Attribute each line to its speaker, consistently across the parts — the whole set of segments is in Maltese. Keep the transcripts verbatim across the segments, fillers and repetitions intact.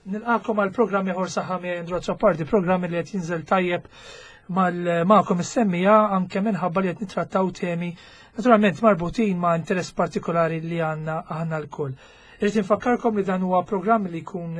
Speaker 1: Nilqakom għal programm ieħor Saħħa miegħi Andrew Azzopardi, programm li qed jinżel tajjeb mal-magħkom is-semmija anke minħabba li qed nittrattaw temi naturalment marbutin ma' interess partikolari li għandna aħna lkoll. Irrid infakkarkom li dan huwa programm li jkun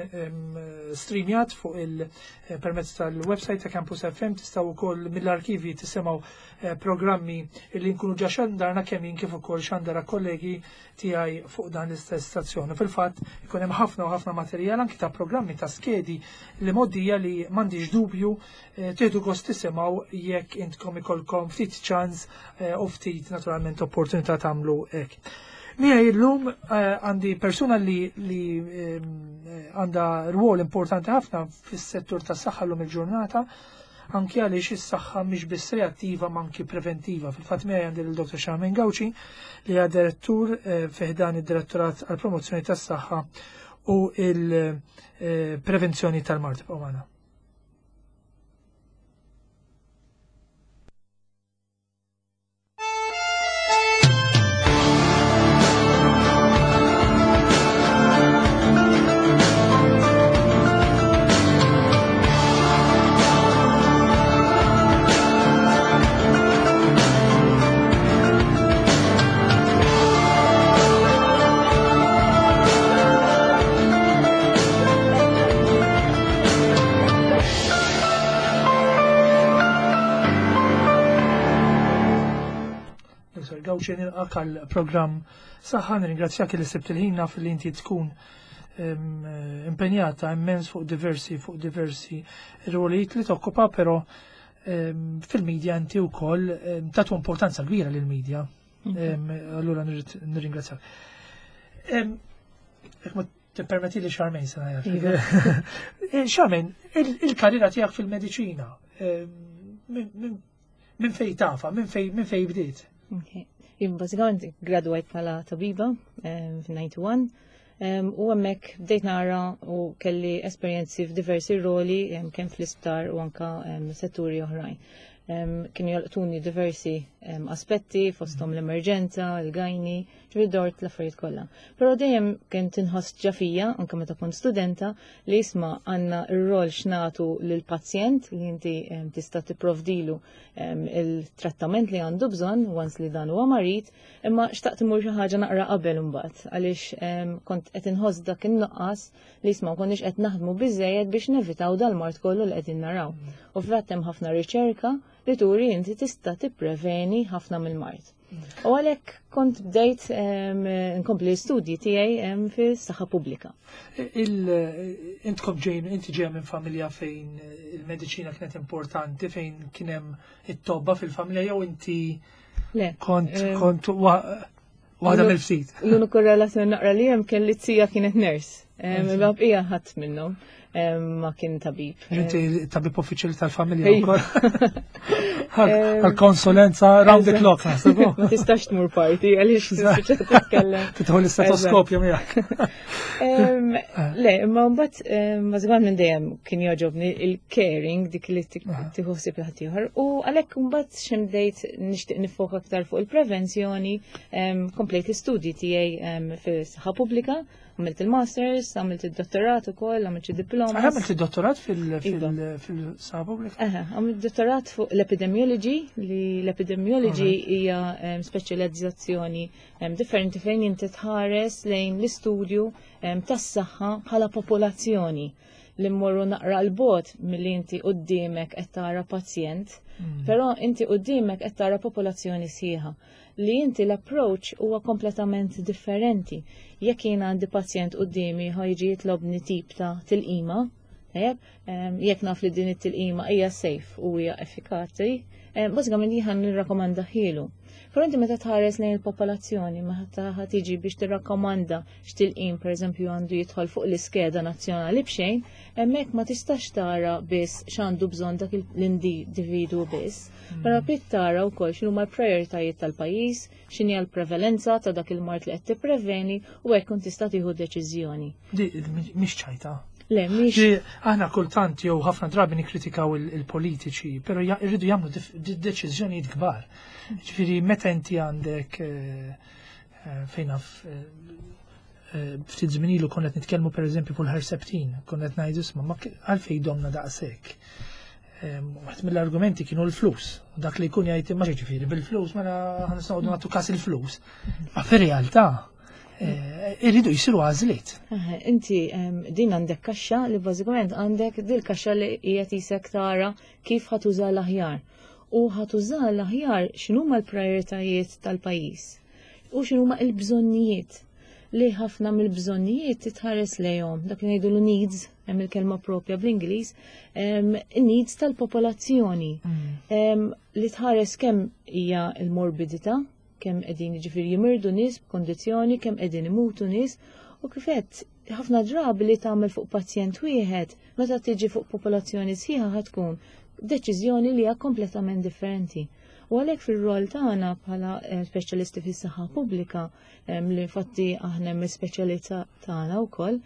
Speaker 1: streamjat fuq il-permezz tal-website ta' Campus F M, tistgħu wkoll mill-arkivi tisimgħu eh, programmi li nkunu ġa xandarna kemm jien kif ukoll xandara kollegi tiegħi fuq dan l-istess stazzjon. Fil-fatt ikun hemm ħafna u ħafna materjal anki ta' programmi ta' skedi li moddija li m'għandix dubju eh, tieħdu gost tisimgħu jekk intkom ikolkom ftit ċans eh, u ftit naturalment opportunità tagħmlu hekk. Miegħi llum għandi persuna li li għandha rwol importanti ħafna fis-settur tas-saħħa llum il-ġurnata, anki għaliex is-saħħa mhix biss reattiva ma anki preventiva. Fil-fatt miegħi għandi lil Doktor Charmaine Gauci li hija direttur fi ħdan id-Direttorat għall-Promozzjoni tas-Saħħa u il-Prevenzjoni tal-Mard. Ibqgħu magħna. Gauci, nilqak għal-programm Saħħa, nirringrazzjak li sibt il-ħin fil-li inti tkun impenjata immens fuq diversi, fuq diversi rwolijiet li tokkupa, però fil-medja inti wkoll tagħtu importanza kbira lill-medja. Allura nirringrazzjak. Jekk ma tippermetti li Charmaine se ngħid. Charmaine, il-karriera tiegħek fil-mediċina minn fej tafa, minn fej minn fej bdiet?
Speaker 2: Jien bażikament gradwajt bħala tabiba f'nartini one u hemmhekk bdejt nara u kelli esperjenzi f'diversi roli kemm fl-isptar u anka setturi oħrajn. Kienu jolqtuni diversi aspetti fosthom l-emerġenza, il-gajni, ġifieri dort l-affarijiet kollha. Però dejjem kien tinħoss ġafija, anke meta kont studenta, li jisma' għandna r-rol x'nagħtu lill-pazjent li inti tista' tipprovdilu il-trattament li għandu bżonn once li dan huwa marid, imma xtaqt imur xi ħaġa naqra qabel imbagħad għaliex kont qed inħoss dak in-nuqqas li jisma' ma konniex qed naħdmu biżejjed biex nevitaw dal-mard kollu li qegħdin naraw. U fil-fatt hemm ħafna riċerka li turi inti tista' tippreveni ħafna mill-mard. U għalhekk kont bdejt nkompli l-istudji tiegħi fis-saħħa pubblika.
Speaker 1: Intkom ġejn, inti ġejja minn familja fejn il-mediċina kienet importanti, fejn kien hemm it-tobba fil-familja, jew inti
Speaker 2: Le,
Speaker 1: kont,
Speaker 2: em,
Speaker 1: kont wa-, waħda
Speaker 2: l-unu-
Speaker 1: mill-ftit?
Speaker 2: L-uniku relazzjoni naqra li hemm kien li t-sija kienet nurse.
Speaker 1: Nurse.
Speaker 2: Imma bqija ħadd minnhom ma kien tabib.
Speaker 1: Inti tabib uffiċjali tal-familja
Speaker 2: Ejwa.
Speaker 1: wkoll. Għal-konsulenza round the clock, naħseb.
Speaker 2: Ma tistax tmur party għaliex tispiċċa titkellem.
Speaker 1: Tidħol l-istetoskopju miegħek.
Speaker 2: Le, imma mbagħad bażikament minn dejjem kien jogħġobni il-caring, dik li tieħu ħsieb l ħaddieħor. U għalhekk mbagħad x'imdejt nixtieq nifoka aktar fuq il-prevenzjoni, komplejt l-istudji tiegħi fis-saħħa pubblika. Għamilt il-masters, għamilt il-dottorat ukoll, għamilt xi diploma.
Speaker 1: Għamilt il-dottorat fil-,
Speaker 2: Iva.
Speaker 1: fil-, fil-saħħa pubblika?
Speaker 2: Aha, għamilt dottorat fuq l-epidemiology, li l-epidemiology
Speaker 1: Alright.
Speaker 2: hija, em, speċjalizzazzjoni, em, differenti fejn inti tħares lejn l-istudju, em, tas-saħħa bħala popolazzjoni li mmorru naqra l-bot milli inti quddiemek qed tara pazjent,
Speaker 1: Mm.
Speaker 2: però inti quddiemek qed tara popolazzjoni sħiħa. Li inti l-approach huwa kompletament differenti. Jekk jien għandi pazjent quddiemi ħa jiġi jitlobni tip ta' tilqima, Jekk naf li din it-tilqima hija safe u hija effikaċi, bażikament jien nirrakkomandahielu. Però inti meta tħares lejn il-popolazzjoni, meta ħa tiġi biex tirrakkomanda x'tilqim, pereżempju, għandu jidħol fuq l-iskeda nazzjonali b'xejn, hemmhekk ma tistax tara biss x'għandu bżonn dak l-individwu biss. Mm. Però trid tara wkoll x'inhuma l-prijoritajiet tal-pajjiż, x'inhi l-prevalenza ta' dak il-mard li qed tippreveni u hekk kun tista' tieħu deċiżjoni.
Speaker 1: Di mhix ċajta.
Speaker 2: Le, mhix.
Speaker 1: Aħna kultant jew ħafna drabi nikkritikaw il-politiċi, però jridu jagħmlu deċiżjonijiet kbar. Ġifieri meta inti għandek eh, eh, fejn naf eh, ftit żmien ilu konna qed nitkellmu, pereżempju, fuq il-Herceptin, konna qed ngħidu, "Isma', ma għalfejn domna daqshekk?" Waħed mill-argumenti kienu l-flus. Dak li jkun jgħid, ma ġifieri bil-flus, mela ħa noqogħdu nagħtu kas il-flus. Ma fir-realtà Eh, irridu jisiru għażliet.
Speaker 2: Inti din għandek kaxxa li bażikament għandek dil kaxxa li hija tisek tara kif ħa tuża l-aħjar. U ħa tuża l-aħjar x'inhuma l-prijoritajiet tal-pajjiż u x'inhuma l-bżonnijiet, li ħafna mill-bżonnijiet titħares lejhom, dak li ngħidu needs, hemm il-kelma propja bl-Ingliż, needs tal-popolazzjoni. Mm. Li tħares kemm hija l-morbidità, kemm qegħdin, jiġifieri, jimirdu nies b'kondizzjoni, kemm qegħdin imutu nies, u kif għedt, ħafna drabi li tagħmel fuq pazjent wieħed, meta tiġi fuq popolazzjoni sħiħa ħa tkun deċiżjoni li hija kompletament differenti. U għalhekk fir-rol tagħna bħala eh, speċjalisti fis-saħħa pubblika, li infatti aħna hemm speċjalità tagħna wkoll,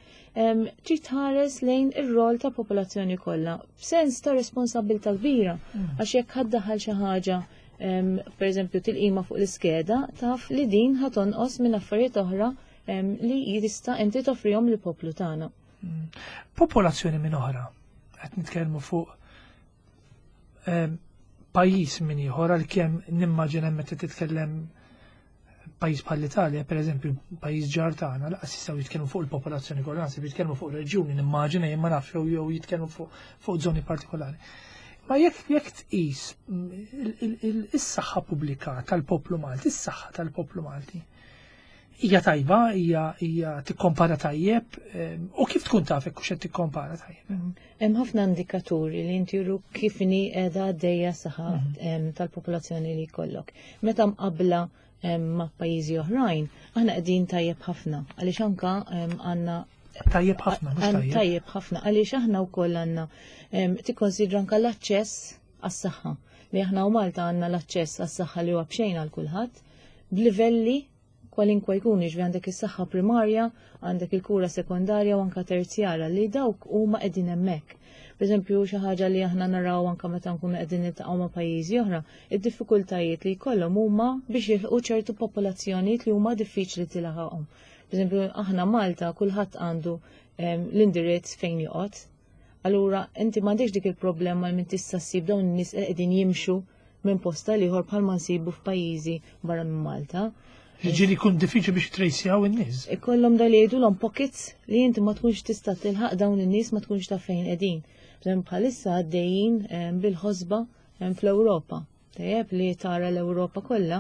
Speaker 2: trid tħares lejn ir-rol ta' popolazzjoni kollha b'sens ta' responsabilità kbira, mm. għax jekk ħa ddaħħal xi ħaġa, per eżempju tilqima fuq l-iskeda, taf li din ħa tonqos minn affarijiet oħra li jista' inti toffrihom lill-poplu tagħna.
Speaker 1: Mm. Popolazzjoni minn oħra, qed nitkellmu fuq pajjiż minn ieħor, għalkemm nimmaġina meta titkellem pajjiż bħal l-Italja, per eżempju, pajjiż ġar tagħna, lanqas jistgħu jitkellmu fuq il-popolazzjoni kollha, naħseb jitkellmu fuq reġjuni, nimmaġina jien, ma nafx, jew jitkellmu fuq fuq żoni partikolari. Ma jekk jekk tqis is-saħħa pubblika tal-poplu Malti, is-saħħa tal-poplu Malti, hija tajba, hija hija tikkompara tajjeb, u kif tkun taf hekk qed tikkompara tajjeb?
Speaker 2: Mm. Hemm ħafna indikaturi li inti juru kif inhi qiegħda għaddejja saħħa mhm. tal-popolazzjoni li jkollok. Meta mqabbla ma' pajjiżi oħrajn, aħna qegħdin tajjeb ħafna għaliex anka għandna
Speaker 1: Tajjeb ħafna, mhux tajjeb.
Speaker 2: Tajjeb ħafna għaliex aħna wkoll għandna tikkonsidra anka l-aċċess għas-saħħa, li aħna u Malta għandna l-aċċess għas-saħħa li huwa b'xejn għal kulħadd b'livelli kwalinkwa jkun, ġifieri għandek is-saħħa primarja, għandek il-kura sekondarja u anka terzjara li dawk huma qegħdin hemmhekk. Per eżempju, xi ħaġa li aħna naraw anka meta nkunu qegħdin niltaqgħu ma' pajjiżi oħra, id-diffikultajiet li jkollhom huma biex jilħqu ċertu popolazzjonijiet li huma diffiċli tilħaqhom. Per eżempju, aħna Malta kulħadd għandu l-indirizz fejn joqgħod. Allura, inti m'għandekx dik il-problema li minn tista' ssib dawn in-nies qegħdin jimxu minn post għal ieħor bħalma nsibu f'pajjiżi barra minn Malta.
Speaker 1: Ġieli jkun diffiċli biex trejsjaw in-nies.
Speaker 2: Ikollhom da li jgħidulhom pockets li inti ma tkunx tista' tilħaq dawn in-nies, ma tkunx taf fejn qegħdin. Bħalissa għaddejjin bil-ħosba fl-Ewropa. Tajjeb li tara l-Ewropa kollha,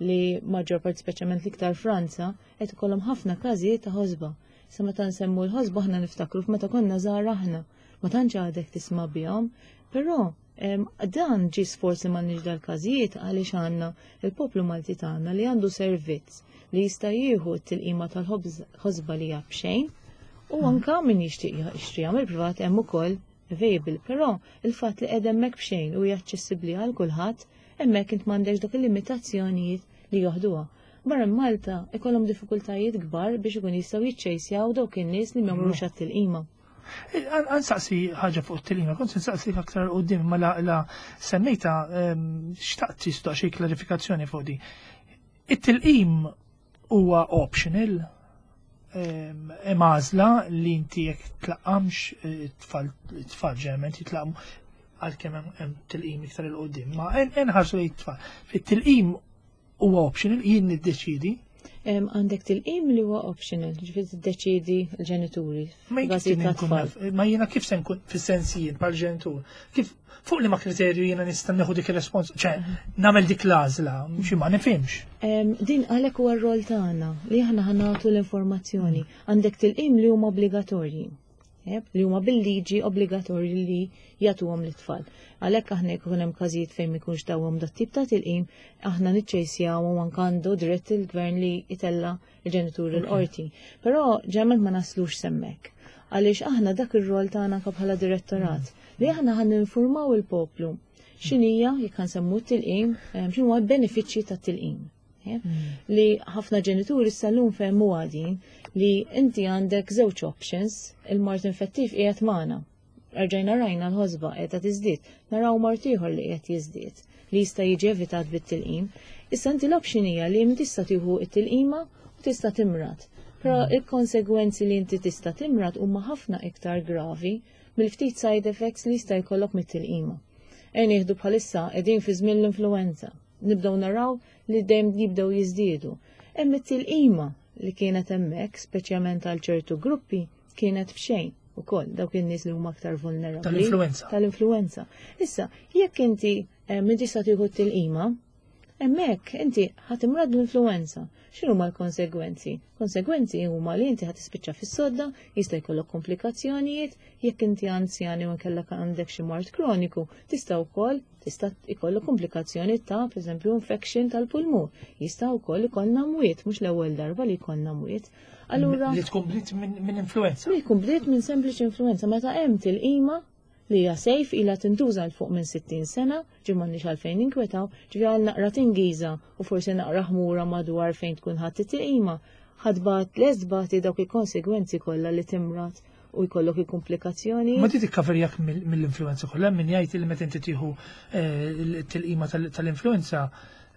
Speaker 2: li maġġor part, speċjalment l-iktar Franza, qed ikollhom ħafna każijiet ta' ħosba. Sa meta nsemmu l-ħosba aħna niftakru f'meta konna żgħar aħna. Ma tantx għadek tisma' bihom, però dan ġi sforz li m'għandniex dal-każijiet għaliex għandna il-poplu Malti tagħna li għandu servizz li jista' jieħu t-tilqima tal-ħosba li hija b'xejn u mm. anka min jixtieq jixtri mill-privat hemm ukoll available, però il-fatt li qed hemmhekk b'xejn u hija aċċessibbli għal kulħadd, hemmhekk int m'għandekx dak il-limitazzjonijiet li joħduha. Barra Malta ikollhom diffikultajiet kbar biex ikun jistgħu jiċċejsjaw dawk in-nies li m'jagħmlux għat-tilqima.
Speaker 1: Ħa nsaqsi ħaġa fuq it-tilqima, kont nsaqsi aktar quddiem, ma la, la semmejta, xtaqt tista' xi klarifikazzjoni fuq di. It-tilqim huwa optional, hemm għażla li inti jekk tlaqqamx, it-tfal it-tfal ġeneralment jitlaqmu, għalkemm hemm tilqim iktar 'il quddiem, ma nħarsu lejn it-tfal. Fit-tilqim huwa optional, jien niddeċidi?
Speaker 2: Għandek tilqim li huwa optional, ġifieri tiddeċidi l-ġenituri.
Speaker 1: Ma ma jiena kif se nkun, fis-sens jien bħal ġenitur, kif, fuq li ma kriterju jiena nista' nieħu dik ir-respons, ċe nagħmel dik l-għażla, xi ma nifhimx.
Speaker 2: Din għalhekk huwa r-rol tagħna li aħna ħa nagħtu l-informazzjoni. Għandek tilqim li huma obbligatorji. Li huma bil-liġi obbligatorji li jagħtuhom lit-tfal. Għalhekk aħna jekk hemm każijiet fejn ma jkunx tawhom dat tip ta' tilqim, aħna niċċejsjaw u anke għandu dritt il-gvern li jtella' il-ġenituri l-qorti. Però ġeneralment ma naslux s'hemmhekk. Għaliex aħna dak ir-rol tagħna bħala direttorat li aħna ħa ninformaw il-poplu x'inhija, jekk nsemmu t-tilqim, x'inhu l-benefiċċji tat-tilqim. Li ħafna ġenituri sal-lum fehmu għadin li inti għandek żewġ options, il-mard infettiv qiegħed magħna. Erġajna rajna l-ħosba qiegħda tiżdied, naraw mard ieħor li qiegħed jiżdied li jista' jiġi evitat bit-tilqim. Issa inti l-option hija li tista' tieħu t-tilqima u tista' timrad. Però il-konsegwenzi li inti tista' timrad huma ħafna iktar gravi mill-ftit side effects li jista' jkollok mit-tilqima. Ejja nieħdu bħalissa qegħdin fi żmien l-influenza. Nibdew naraw li dejjem jibdew jiżdiedu. Hemm it-tilqima li kienet hemmhekk, speċjalment għal ċertu gruppi, kienet b'xejn ukoll dawk in-nies li huma aktar vulnerabbli.
Speaker 1: Tal-influenza.
Speaker 2: Tal-influenza. Issa, jekk inti eh, min tista' tieħu t-tilqima, hemmhekk inti ħa timrad l-influenza. X'inhu huma l-konsegwenzi? Konsegwenzi huma li inti ħa tispiċċa fis-sodda, jista' jkollok komplikazzjonijiet, jekk inti anzjani u nkellek għandek xi mard kroniku, tista' wkoll tista' jkollok komplikazzjoni ta' pereżempju infection tal-pulmun. Jista' wkoll ikollna mwiet, mhux l-ewwel darba li jkollna mwiet. Allura
Speaker 1: li tkun bdiet minn influenza.
Speaker 2: Li tkun bdiet minn sempliċi influenza meta hemm tilqima li hija safe, ilha tintuża 'l fuq minn sittin sena, ġi m'għandniex għalfejn ninkwetaw, ġifieri għal naqra tingiża u forsi naqra ħmura madwar fejn tkun ħadd it-tilqima, ħa tbati l-esbati dawk il-konsegwenzi kollha li timrad u jkollok il-komplikazzjoni.
Speaker 1: Ma ti tikkaverjak mill-influenza kollha, min jgħid li meta inti tieħu eh, il-tilqima tal-influenza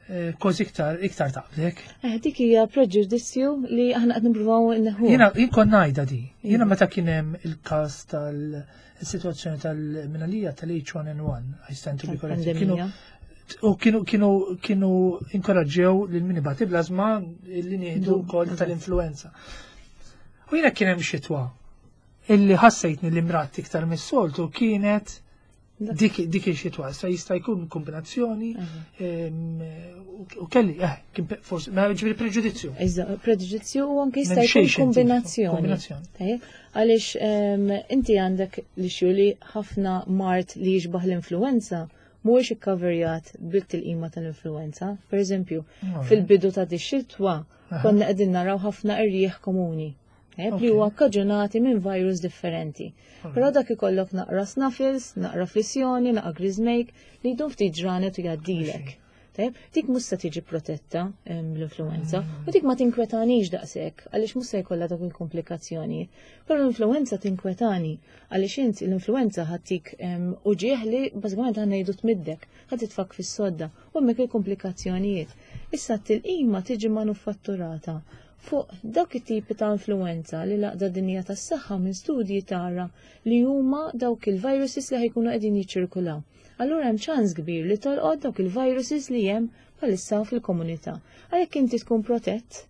Speaker 1: eh, kważi iktar iktar taqblek.
Speaker 2: Eh, dik hija preġudizzju li aħna qed nippruvaw inneħħu.
Speaker 1: Jiena jien kont ngħidha di. Jiena meta kien hemm il-każ tal-sitwazzjoni tal-minalija tal-H one N one, I stand to be corrected. Kienu u kienu kienu kienu inkoraġġew lil min ibati bl-ażma li nieħdu wkoll tal-influenza. U jiena kien hemm xitwa illi ħassejtni li mradt iktar mis-soltu, kienet dik dik ix-xitwa. Issa jista' jkun kombinazzjoni u kelli, eh, kien forsi, ma ġifieri preġudizzju.
Speaker 2: Iżda, preġudizzju u anke jista' jkun kombinazzjoni. Tajjeb, għaliex inti għandek li li ħafna mard li jixbaħ l-influenza mhuwiex ikkaverjat bit-tilqima tal-influenza. Per eżempju, fil-bidu ta' di xitwa konna qegħdin naraw ħafna irjieħ komuni li huwa kkaġunati minn virus differenti. Però dak ikollok naqra snuffles, naqra flissjoni, naqra griżmejk li jdum ftit ġranet u jgħaddilek. Tajjeb, dik mhux se tiġi protetta l-influenza u dik ma tinkwetanix daqshekk għaliex mhux se jkollha dak il-komplikazzjoni. Però l-influenza tinkwetani għaliex inti l-influenza ħa ttik uġigħ li bażikament ħa ngħidu tmiddek, ħa titfgħek fis-sodda u hemmhekk il-komplikazzjonijiet. Issa t-tilqima tiġi manufatturata fuq dawk it-tipi ta' influenza li l-Għaqda Dinjija tas-Saħħa minn studji tara li huma dawk il-viruses li ħa jkunu qegħdin jiċċirkulaw. Allura hemm ċans kbir li tolqod dawk il-viruses li hemm bħalissa fil-komunità. Għalhekk inti tkun protett,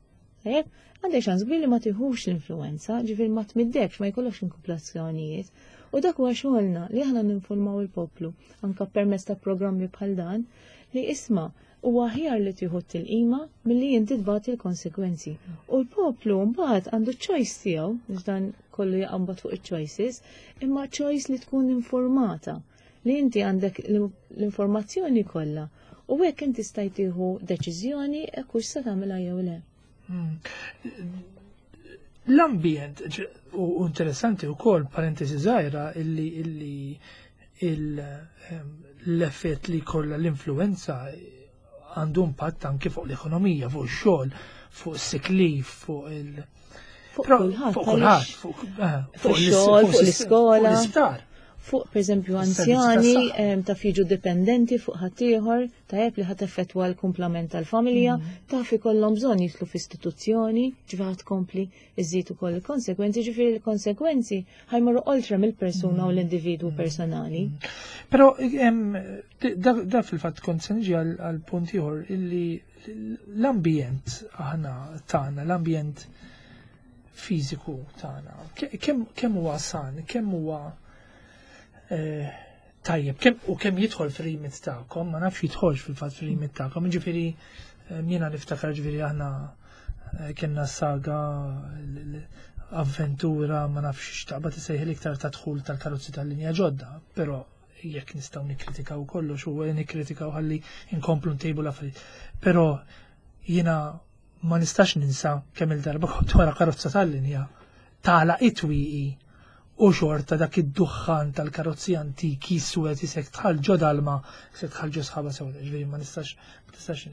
Speaker 2: tajjeb, għandek ċans kbir li ma tiħux l-influenza, ġifieri ma tmiddekx, ma jkollokx komplikazzjonijiet. U dak huwa xogħolna li aħna ninformaw il-poplu anka permezz ta' programmi bħal dan li isma' huwa aħjar li tieħu t-tilqima milli inti tbati l-konsekwenzi. U l-poplu mbagħad għandu choice tiegħu, biex dan kollu jaqbad fuq il-choices, imma choice li tkun informata, li inti għandek l-informazzjoni kollha u hekk inti stajt tieħu deċiżjoni hekk hux se tagħmilha jew le.
Speaker 1: Hmm. L-ambjent, u interessanti u kol, parentesi żgħira, illi illi l-effett li kolla l-influenza għandu impatt anke fuq l-ekonomija, fuq ix-xogħol, fuq is-sick leave, fuq il-
Speaker 2: Fuq kulħadd.
Speaker 1: Fuq kulħadd, fuq
Speaker 2: eh, fuq ix-xogħol, fuq l-iskola.
Speaker 1: Fuq l-isptar.
Speaker 2: Fuq pereżempju anzjani taf jiġu dipendenti fuq ħaddieħor, tajjeb, li ħa teffettwa l-kumplament tal-familja, mm. taf ikollhom bżonn jidħlu f'istituzzjoni, ġifieri tkompli iżid ukoll il-konsekwenzi, ġifieri l-konsekwenzi ħa jmorru oltre mill-persuna u l-individwu mm. personali.
Speaker 1: Mm. Però da fil-fatt kont se niġi għal punt ieħor illi l-ambjent aħna tagħna, l-ambjent fiżiku tagħna, kemm huwa san, kemm huwa eh, tajjeb, kemm u kemm jidħol fir-remit tagħkom, ma nafx jidħolx fil-fatt fir-remit tagħkom, ġifieri eh, jiena niftakar, ġifieri aħna eh, kellna saga Avventura, ma nafx x'taqbad isejħel iktar ta' dħul tal-karozzi tal-linja ġodda, però jekk nistgħu nikkritikaw kollox u nikkritikaw ħalli inkomplu ntejbu l-affarijiet. Però jiena ma nistax ninsa kemm il-darba kont wara karozza tal-linja tagħlaq it-twieqi u xorta dak id-duħħan tal-karozzi antiki suwed isek tħal ġo dalma, isek tħal ġo sħaba sewda, ġifieri ma nistax ma tistax.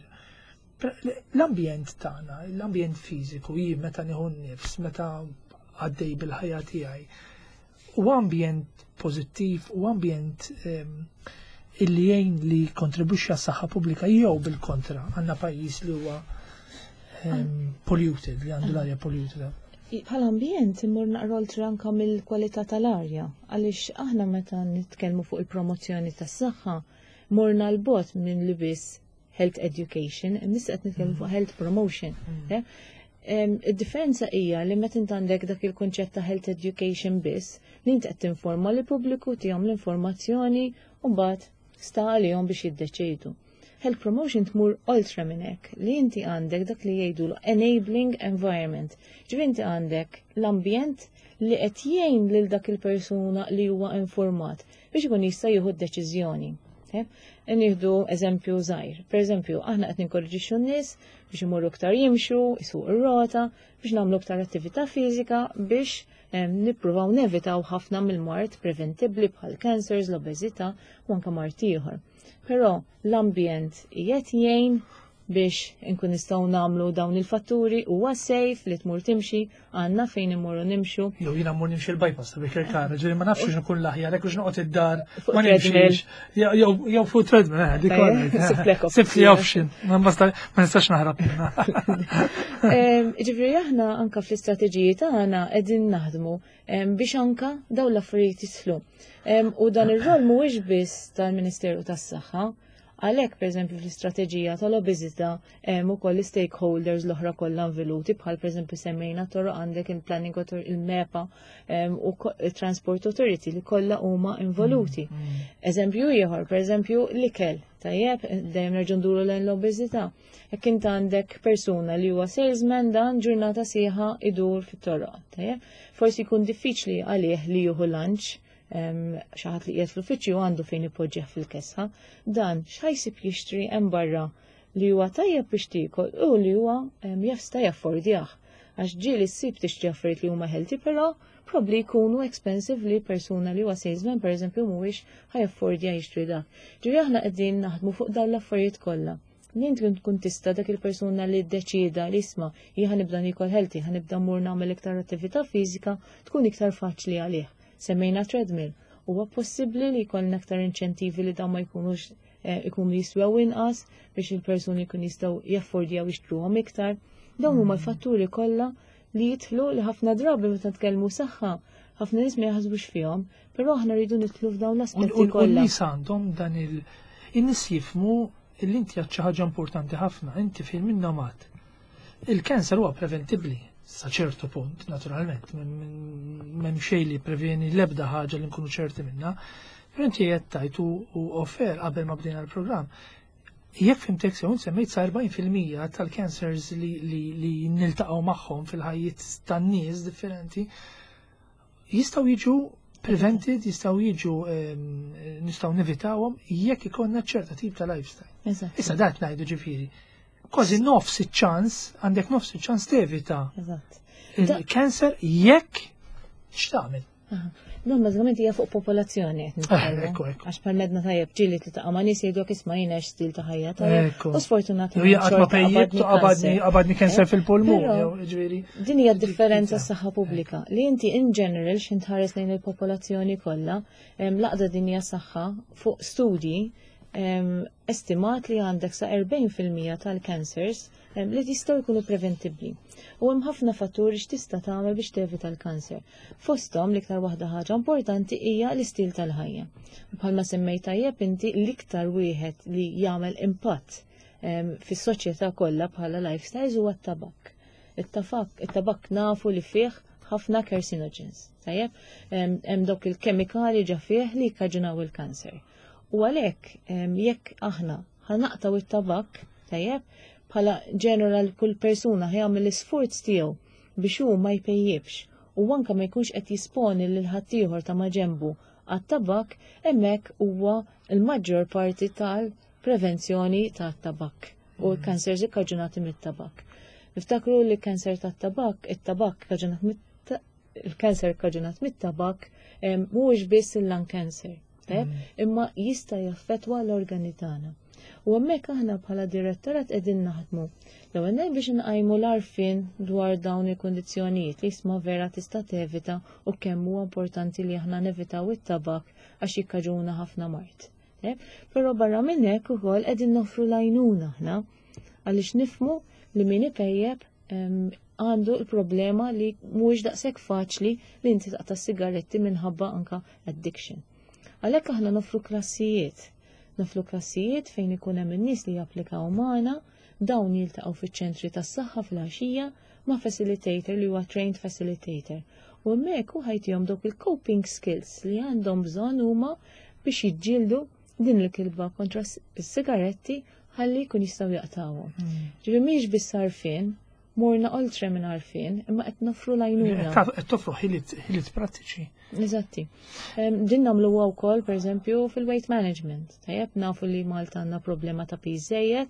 Speaker 1: L-ambjent tagħna, l-ambjent fiżiku, jien meta nieħu n-nifs, meta għaddej bil-ħajja tiegħi, u ambjent pożittiv u ambjent ehm, illi jgħin li kontribwixxi għas-saħħa pubblika jew bil-kontra, għandna pajjiż li huwa ehm, polluted, li għandu l-arja polluted?
Speaker 2: Bħala ambjent immur naqra oltre anka mill-kwalità tal-arja, għaliex aħna meta nitkellmu fuq il-promozzjoni tas-saħħa, morna 'l bogħod minn li biss health education, nista' qed nitkellmu fuq health promotion. Mm. Id-differenza hija li meta int għandek dak il-kunċett ta' health education biss, li inti qed tinforma lill pubbliku, tihom l-informazzjoni u mbagħad sta għalihom biex jiddeċidu. Health promotion tmur oltre minn hekk, li inti għandek dak li jgħidu enabling environment. Ġifieri inti għandek l-ambjent li qed jgħin lil dak il-persuna li huwa informat biex ikun jista' jieħu d-deċiżjoni. Nieħdu eżempju żgħir. Per eżempju, aħna qed ninkoraġixxu n-nies biex imorru iktar jimxu, isuq ir-rota, biex nagħmlu iktar attività fiżika biex nippruvaw nevitaw ħafna mill-mard preventibbli bħal cancers, l-obeżità u anke mard ieħor. Però l-ambjent qiegħed jgħin biex inkun nistgħu nagħmlu dawn il-fatturi? Huwa safe li tmur timxi? Għandna fejn immorru nimxu?
Speaker 1: Jew jiena mmur nimxi l-bypass ta' Birkirkara, ġifieri ma nafx nkun l-aħjar hekk noqgħod id-dar ma nimxix. Jew fuq treadmill, eh, dik Sib li option, ma nistax naħrab minnha.
Speaker 2: Ġifieri aħna anka fl-istrateġiji tagħna qegħdin naħdmu biex anka dawn l-affarijiet jidħlu. U dan ir-rol mhuwiex biss tal-Ministeru tas-Saħħa. Għalhekk, pereżempju, fl-istrateġija tal-obeżità hemm ukoll stakeholders l-oħra kollha involuti, bħal pereżempju semmejna toroq, għandek il-Planning Authority, il-MEPA u il-Transport Authority li kollha huma involuti. Mm, mm. Eżempju ieħor, pereżempju l-ikel, tajjeb, dejjem nerġgħu nduru lejn l-obeżità. Jekk int għandek persuna li huwa salesman, dan ġurnata sieħa idur fit-toroq, tajjeb? Forsi jkun diffiċli għalih li jieħu lunch, xi ħadd li qiegħed fl-uffiċċju għandu fejn ipoġġih fil-kesħa, dan x'ħa jsib jixtri hemm barra li huwa tajjeb biex tiekol u li huwa jista' jaffordjah? Għax ġieli ssib tixtri affarijiet li huma healthy, però probably jkunu expensive li persuna li huwa salesman, pereżempju, mhuwiex ħa jaffordja jixtri dak. Ġifieri aħna qegħdin naħdmu fuq dawn l-affarijiet kollha. Li inti tkun tista' dak il-persuna li ddeċida li isma' jien ħa nibda nikol healthy, ħa nibda mmur nagħmel iktar attività fiżika, tkun iktar faċli għalih. Semmejna treadmill. Huwa possibbli li jkollna aktar inċentivi li dawn ma jkunux eh, ikunu jiswew inqas biex il-persuni jkun jistgħu jaffordjaw jixtruhom iktar. Dawn huma l-fatturi kollha li jidħlu li ħafna drabi meta nitkellmu saħħa ħafna nies ma jaħsbux fihom, però aħna rridu nidħlu f'dawn l-aspetti
Speaker 1: U
Speaker 2: kollha.
Speaker 1: n-nies għandhom dan il- In-nies jifhmu li inti għad xi ħaġa importanti ħafna, inti fil minna mat. Il-kanser huwa preventibbli sa ċertu punt, naturalment, m'hemm xejn li preveni l-ebda ħaġa li nkunu ċerti minna. Però inti qed tajt u offer qabel ma bdejna l-programm. Jekk fhimtek sew, semmejt sa erbgħin fil-mija tal-cancers li, li, li niltaqgħu magħhom fil-ħajjiet tan-nies differenti jistgħu jiġu prevented, jistgħu jiġu em, nistgħu nevitawhom jekk ikollna ċerta tip ta' lifestyle.
Speaker 2: Eżatt.
Speaker 1: Issa dat ngħidu ġifieri. Kważi nofs iċ-ċans, għandek nofs iċ-ċans tevita
Speaker 2: Eżatt.
Speaker 1: il-cancer jekk x'tagħmel.
Speaker 2: Aha. Dan bażikament hija fuq popolazzjoni qed nitkellmu.
Speaker 1: Ekku, ekku.
Speaker 2: Għax bħal medna tajjeb ġieli tiltaqa' ma' nies jgħidulek isma' jiena stil ta' ħajja tajjeb.
Speaker 1: Ekku.
Speaker 2: U sfortunatament
Speaker 1: Jew jaqgħad ma
Speaker 2: xorta
Speaker 1: pejjib,
Speaker 2: qabadni
Speaker 1: qabadni
Speaker 2: kanser.
Speaker 1: qabadni cancer
Speaker 2: Eh,
Speaker 1: fil-pulmun,
Speaker 2: però
Speaker 1: jew ġifieri.
Speaker 2: Din hija differenza s-saħħa pubblika li inti in general x'int tħares lejn il-popolazzjoni kollha, em, l-għaqda dinja saħħa fuq studji em, estimat li għandek sa erbgħin fil-mija tal-cancers em, li jistgħu jkunu preventibbli. U hemm ħafna fatturi x'tista' tagħmel biex tevita l-kanser. Fosthom l-iktar waħda ħaġa importanti hija l-istil tal-ħajja. Bħalma semmejt tajjeb inti, l-iktar wieħed li jagħmel impatt em, fis-soċjetà kollha bħala lifestyles huwa t-tabak. It-tabak, it-tabak nafu li fih ħafna carcinogens. Tajjeb, Em, hemm dawk il-kemikali ġa fih li jikkaġunaw il-kanser. U għalhekk em, jekk aħna ħa naqtgħu it-tabak, tajjeb, bħala general kull persuna ħa jagħmel l-isforz tiegħu biex hu ma jpejjibx u anke ma jkunx qed jisponi lil ħaddieħor ta' maġenbu għat-tabak, hemmhekk huwa l-maġġor parti tal-prevenzjoni tat-tabak u l-kansers ikkaġunati mit-tabak. Niftakru li kanser tat-tabak, it-tabak kaġunat il-kanser kaġunat mit-tabak mhuwiex biss il-lung cancer, imma jista' jaffettwa l-organi tagħna. U hemmhekk aħna bħala direttorat qegħdin naħdmu. L-ewwel biex nqajmu l-għarfien dwar dawn il-kundizzjonijiet li jisma' vera tista' tevita u kemm huwa importanti li aħna nevitaw it-tabak għax jikkaġuna ħafna mard. Però barra minn hekk ukoll qegħdin noffru l-għajnuna aħna għaliex nifhmu li min ipejjeb għandu l-problema li mhuwiex daqshekk faċli li inti taqta' sigaretti minħabba anka addiction. Għalhekk aħna noffru klassijiet. Noffru klassijiet fejn ikun hemm in-nies li japplikaw magħna, dawn jiltaqgħu fiċ-ċentri tas-saħħa fil-għaxija ma' facilitator li huwa trained facilitator. U hemmhekk hu ħa jtihom dawk il-coping skills li għandhom bżonn huma biex jiġġieldu din il-kilba kontra s-sigaretti ħalli jkun jistgħu jaqtawhom. Hmm. Ġifieri mhix biss għarfien, morna oltre minn għarfien, imma qed noffru l-għajnuna.
Speaker 1: Qed toffru ħiliet prattiċi.
Speaker 2: Eżatti. Din nagħmluha wkoll pereżempju fil-weight management. Tajjeb nafu li Malta għandna problema ta' piż żejjed,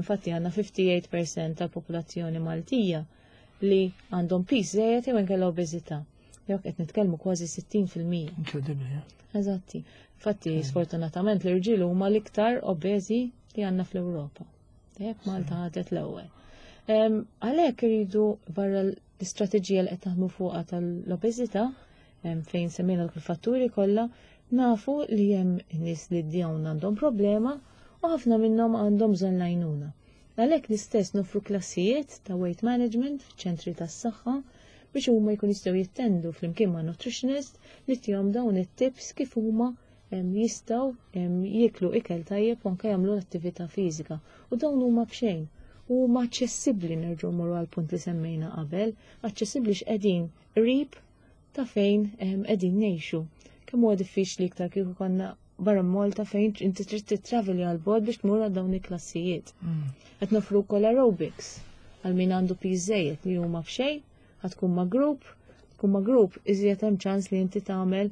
Speaker 2: infatti għandna ħamsa u ħamsin fil-mija tal-popolazzjoni Maltija li għandhom piż żejjed jew inkella obeżità. Jew qed nitkellmu kważi sittin fil-mija.
Speaker 1: Inkredibbli.
Speaker 2: Eżatti. Infatti, sfortunatament l-irġiel huma l-iktar obeżi li għandna fl-Ewropa. Tajjeb, Malta ħadet l-ewwel. Għalhekk iridu barra l-istrateġija li qed naħdmu fuqha tal-obeżità fejn semmejna l-fatturi kollha, nafu li hemm nies li dawn għandhom problema u ħafna minnhom għandhom bżonn l-għajnuna. Għalhekk l-istess noffru klassijiet ta' weight management f'ċentri tas-saħħa biex huma jkun jistgħu jittendu flimkien ma' nutritionist li ttihom dawn it-tips kif huma jistgħu jieklu ikel tajjeb u anke jagħmlu l-attività fiżika. U dawn huma b'xejn. U huma aċċessibbli, nerġgħu morru għal punt li semmejna qabel, aċċessibbli x'qegħdin qrib ta' fejn qegħdin ngħixu. Kemm huwa diffiċli iktar kieku konna barra Malta fejn inti trid titraveli għal bogħod biex tmur għal dawn il-klassijiet. Mm. Qed nofru wkoll aerobics għal min għandu piż żejjed li huma b'xejn, ħa tkun ma' grupp, tkun ma' grupp iżjed hemm ċans li inti tagħmel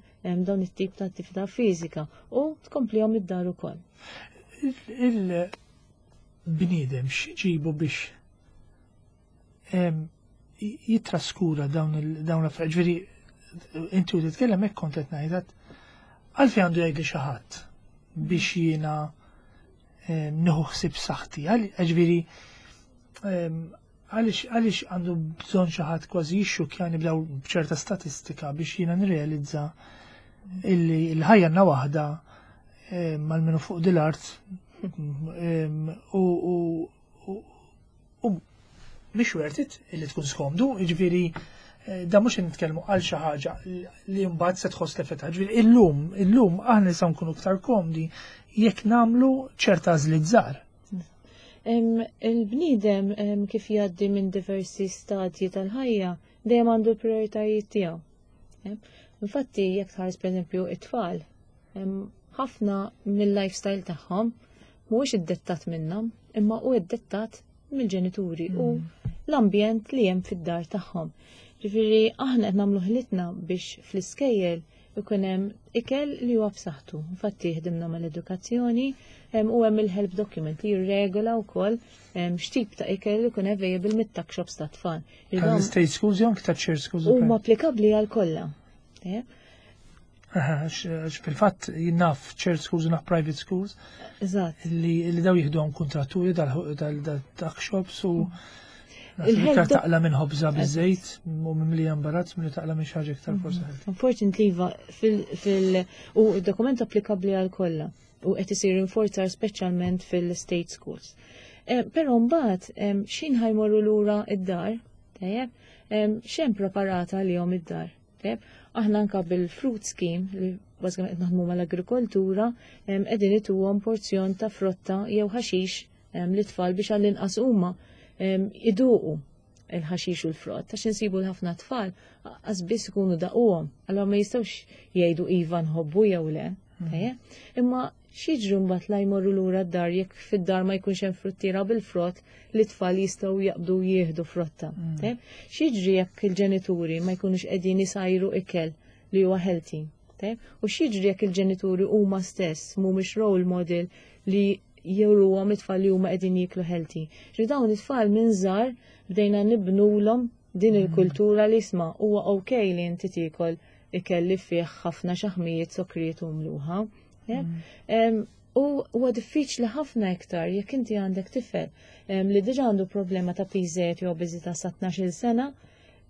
Speaker 2: dawn it-tip ta' attività fiżika u tkomplihom id-dar ukoll.
Speaker 1: Il-bniedem x'iġibu biex jitraskura dawn l-affarijiet? Ġifieri inti u titkellem hekk kont qed ngħidat għalfejn għandu jgħidli xi ħadd biex jiena nieħu ħsieb saħħti. Ġifieri għaliex għaliex għandu bżonn xi ħadd kważi jixxukjani b'daw b'ċerta statistika biex jiena nirrealizza illi l-ħajja għandna waħda mal-minu fuq dil-art u u mhix worth it illi tkun skomdu, jiġifieri eh, da mhux nitkellmu għal xi ħaġa li mbagħad se tħoss l-effett. Ġifieri illum, illum aħna nistgħu nkunu iktar komdi jekk nagħmlu ċerta għażliet żgħar.
Speaker 2: Il-bniedem kif jgħaddi minn diversi stadji tal-ħajja dejjem għandu l-prioritajiet tiegħu. Infatti, jekk tħares pereżempju it-tfal, ħafna mill-lifestyle tagħhom mhuwiex iddettat minnhom, imma hu iddettat mill-ġenituri u mm. l-ambjent li hemm fid-dar tagħhom. Ġifieri aħna qed nagħmlu ħilitna biex fl-iskejjel ikun hemm ikel li huwa b'saħħtu. Infatti ħdimna mal-edukazzjoni u hemm il-help document li jirregola wkoll x'tip ta' ikel ikun available mit-tuck shops ta' tfal.
Speaker 1: State schools jew ta' shared schools?
Speaker 2: Huma applikabbli għal kollha.
Speaker 1: Fil-fatt jinnaf shared schools u naf private schools.
Speaker 2: Eżatt.
Speaker 1: Li daw jieħduhom kontratturi dal-tuck shops u iktar taqla minn ħobża biż-żejt u mimlija imbarazz milli taqla minn xi ħaġa iktar forsi.
Speaker 2: Unfortunately, iva, fil u dokument applikabbli għal kollha u qed isir inforzar speċjalment fil-state schools. Eh, però mbagħad xin ħa jmorru lura id-dar, tajjeb, x'hemm preparata għalihom id-dar. Tajjeb, aħna anka bil-fruit scheme li bażikament qed naħdmu mal-agrikoltura qegħdin ituhom porzjon ta' frotta jew ħaxix lit-tfal biex għall-inqas huma iduqu il-ħaxix u l-frott, għax insibu l-ħafna tfal għax biss ikunu daquhom, allora ma jistgħux jgħidu iva nħobbu jew le. Mm. Imma X'jiġri mbagħad la jmorru lura d-dar jekk fid-dar ma jkunx hemm fruttiera bil-frott li tfal jistgħu jaqbdu jieħdu frotta? Mm. X'jiġri jekk il-ġenituri ma jkunux qegħdin isajru ikel li huwa healthy? U x'jiġri jekk il-ġenituri huma stess mhumiex role model li juruhom it-tfal li huma qegħdin jieklu healthy? Ġi dawn it-tfal minn żgħar bdejna nibnulhom din mm. il-kultura li isma' huwa okay li inti tiekol ikel li fih ħafna xaħmijiet, sokrijiet u mluħa. Mm. U huwa diffiċli ħafna iktar jekk inti għandek tifel li diġà għandu problema ta' piż jew obeżità sa tnax-il sena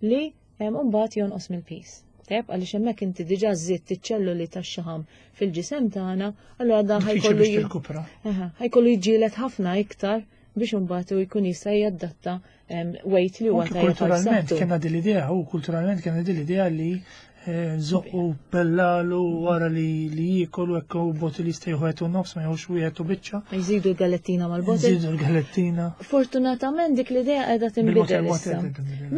Speaker 2: li mbagħad jonqos mill-piż. Tajjeb, għaliex hemmhekk inti diġà żidt iċ-ċelluli tax-xaħam fil-ġisem tagħna, allura dan ħa jkollu ħa jkollu jiġġieled ħafna iktar biex imbagħad u jkun jista' jadatta weight li huwa
Speaker 1: tajjeb. Kulturalment kellna din l-idea, u kulturalment kellna din l-idea li zoqqu bellalu wara li li jiekol u hekk u bottle jista' jieħu u nofs, ma jieħux wieħed u biċċa.
Speaker 2: Jżidu l-galettina mal-bottle.
Speaker 1: Jżidu l-galettina.
Speaker 2: Fortunatament dik l-idea qiegħda tinbidel issa.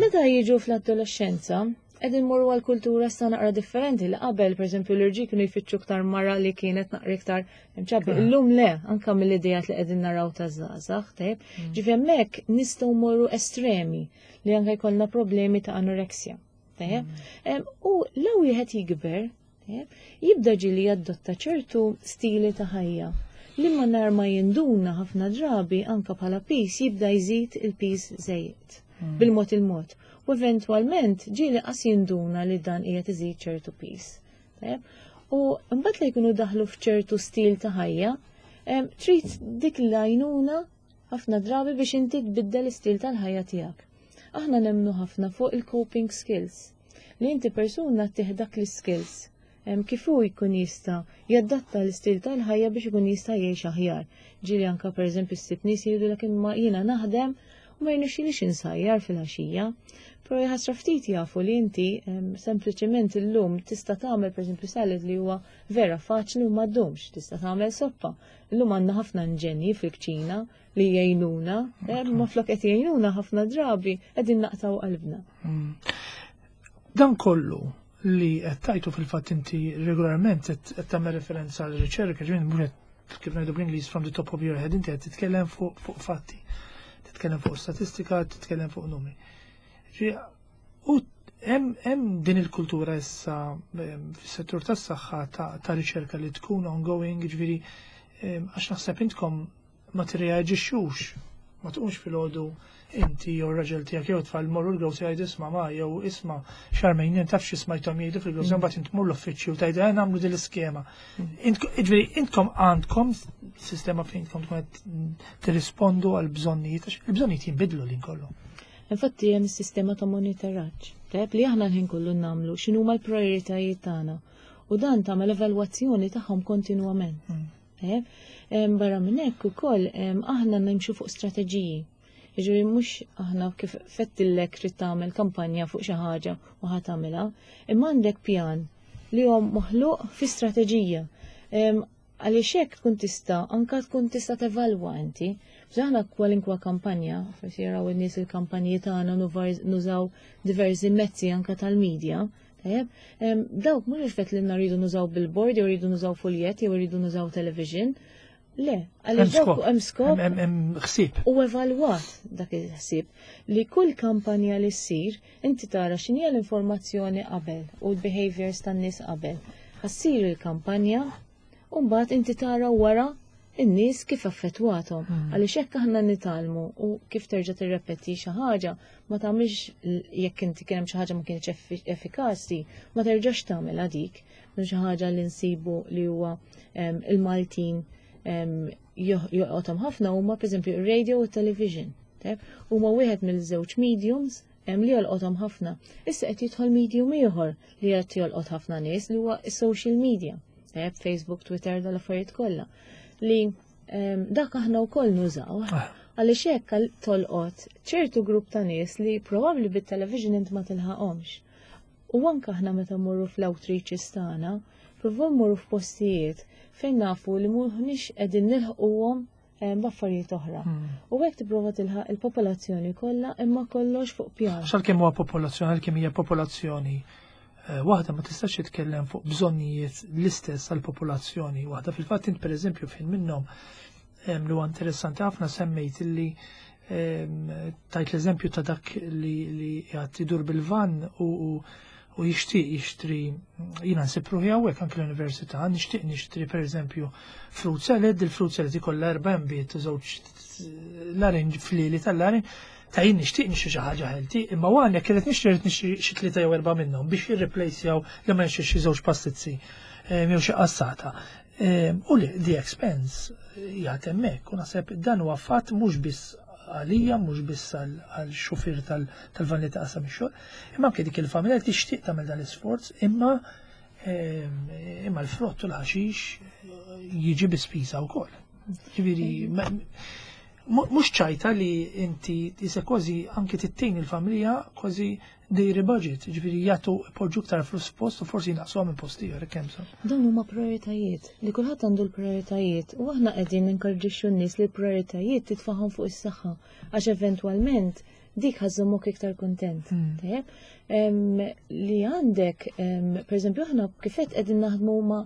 Speaker 2: Meta jiġu fl-adolescenza, qegħdin morru għal kultura sta naqra differenti li qabel, pereżempju, l-irġiel kienu jfittxu iktar mara li kienet naqra iktar chubby. Ah. Illum le, anka mill-idejat li qegħdin naraw ta' żgħażagħ, tajjeb. Mm. Ġifieri hemmhekk nistgħu morru estremi li anke jkollna problemi ta' anoreksja. Tajjeb. Mm. U law wieħed jikber, jibda ġili jadotta ċertu stili ta' ħajja li ma nar ma jinduna ħafna drabi anka bħala piż jibda jżid il-piż żejjed mm. bil-mod il-mod. U eventwalment ġieli qas jinduna li dan qiegħed iżid ċertu piż. U mbagħad li jkunu daħlu f'ċertu stil ta' ħajja, trid dik l-għajnuna ħafna drabi biex inti tbiddel istil tal-ħajja tiegħek. Aħna nemnu ħafna fuq il-coping skills. Li inti persuna tih dak l-skills kif hu jkun jista' jadatta l-istil tal-ħajja biex ikun jista' jgħix aħjar. Ġieli anka, pereżempju, ssib nies jgħidu imma jiena naħdem u ma jirnexxilix insajjar fil-għaxija. Però jħasra ftit jafu li inti sempliċement illum tista' tagħmel, pereżempju, salad li huwa vera faċli u ma ddumx, tista' tagħmel soppa. Illum għandna ħafna inġenji fil-kċina li jgħinuna, ma flok qed jgħinuna ħafna drabi qegħdin naqtaw qalbna.
Speaker 1: Mm. Dan kollu li qed tajtu fil-fatt inti regolarment qed tagħmel referenza għal riċerka, ġifieri mhux kif ngħidu bl-Ingliż from the top of your head, inti qed titkellem fuq fatti, titkellem fuq statistika, titkellem fuq numri. U hemm din il-kultura issa fis-settur tas-saħħa ta' riċerka li tkun ongoing, ġifieri għax naħseb intkom ma tirreaġixxux, ma tqumx filgħodu inti jew raġel tiegħek jew tfal morru l-grocery jgħidu isma' ma jew isma' Charmaine, taf xi smajthom jgħidu fil-grocery, mm. mbagħad int tmur l-uffiċċju tgħidu eh, nagħmlu din l-iskema. Mm. Ġifieri intkom għandkom sistema fejn tkun qed tirrispondu għal bżonnijiet, għax il-bżonnijiet jinbidlu lin kollu.
Speaker 2: Infatti hemm sistema ta' monitoraġġ. Tajjeb, li aħna l-ħin kollu nagħmlu x'inhuma l-prijoritajiet tagħna. U dan tagħmel evalwazzjoni tagħhom kontinwament. Mm. Tajjeb, barra minn hekk ukoll aħna nimxu fuq strateġiji. Jiġifieri mhux aħna kif fettillek trid tagħmel kampanja fuq xi ħaġa u ħa tagħmilha, imma għandek pjan li huwa maħluq fi strateġija. Għaliex hekk tkun tista' anka tkun tista' tevalwa inti. Aħna kwalinkwa kampanja, forsi jaraw in-nies il-kampanji tagħna, nużaw diversi mezzi anka tal-medja. Tajjeb, dawk mhux effett li rridu nużaw billboard jew rridu nużaw fuljet jew rridu nużaw television. Le, għaliex dawk hemm skop.
Speaker 1: Hemm ħsieb.
Speaker 2: U evalwat dak il-ħsieb li kull kampanja li ssir inti tara x'inhi l-informazzjoni qabel u l-behaviors tan-nies qabel. Ħa ssir il-kampanja u mbagħad inti tara wara in-nies kif affettwathom. Hmm. Għaliex hekk aħna nitgħallmu u kif terġa' tirrepeti xi ħaġa ma tagħmilx jekk inti kien hemm xi ħaġa ma kienx effikaċi, ma terġax tagħmilha dik. Xi ħaġa li nsibu li huwa il-Maltin jolqothom ħafna huma, pereżempju, ir-radio u t-television. Huma wieħed mill-żewġ mediums hemm li jolqothom ħafna. Issa qed jidħol medium ieħor li qed jolqot ħafna nies li huwa is-social media. Facebook, Twitter, dal-affarijiet kollha. Li dak aħna wkoll nużaw. Ah. Għaliex hekk tolqot ċertu grupp ta' nies li probabbli bit-television int ma tilħaqhomx. U anke aħna meta mmorru fl-outreaches tagħna, provaw mmorru f'postijiet fejn nafu li mhux qegħdin nilħquhom b'affarijiet oħra. Hmm. U hekk tipprova tilħaq il-popolazzjoni kollha, imma kollox fuq pjan.
Speaker 1: Xal kemm huwa popolazzjoni, għal kemm hija popolazzjoni eh, waħda ma tistax titkellem fuq bżonnijiet l-istess għall-popolazzjoni waħda. Fil-fatt int, pereżempju, fejn minnhom li huwa interessanti ħafna, semmejt li tajt l-eżempju ta' dak li li qiegħed idur bil-van u u jixtieq jixtri. Jiena nsib ruħi hawnhekk anke l-università, nixtieq nixtri pereżempju fruit salad, il-fruit salad ikollha erba' nbejjed, żewġ larinġ, flieli tal-larinġ, ta' jien nixtieq nixtri xi ħaġa healthy, imma għan jekk irid nixtri, irid nixtri xi tlieta jew erba' minnhom biex jirreplacejaw li ma nixtri xi żewġ pastizzi jew xi qassata. U li the expense jgħat hemmhekk, u naħseb dan huwa fatt mhux biss għalija, mhux biss għal xufier tal-van li taqsam ix-xogħol, imma anke dik il-familja li tixtieq tagħmel dan l-isforz, imma imma l-frott u l-ħaxix jiġi bi spiża wkoll. Ġifieri mhux ċajta li inti tisa kważi anke tittejn il-familja kważi dejri budget, ġifieri jagħtu poġġu iktar flus post u forsi naqsuha minn post ieħor kemm sa.
Speaker 2: Dawn huma prioritajiet, li kulħadd għandu l-prioritajiet u aħna qegħdin ninkorġixxu n-nies li l-prioritajiet titfagħhom fuq is-saħħa, għax eventwalment dik ħa żżommok iktar kontent. Hmm. Li għandek, per eżempju, aħna kifet qegħdin naħdmu ma'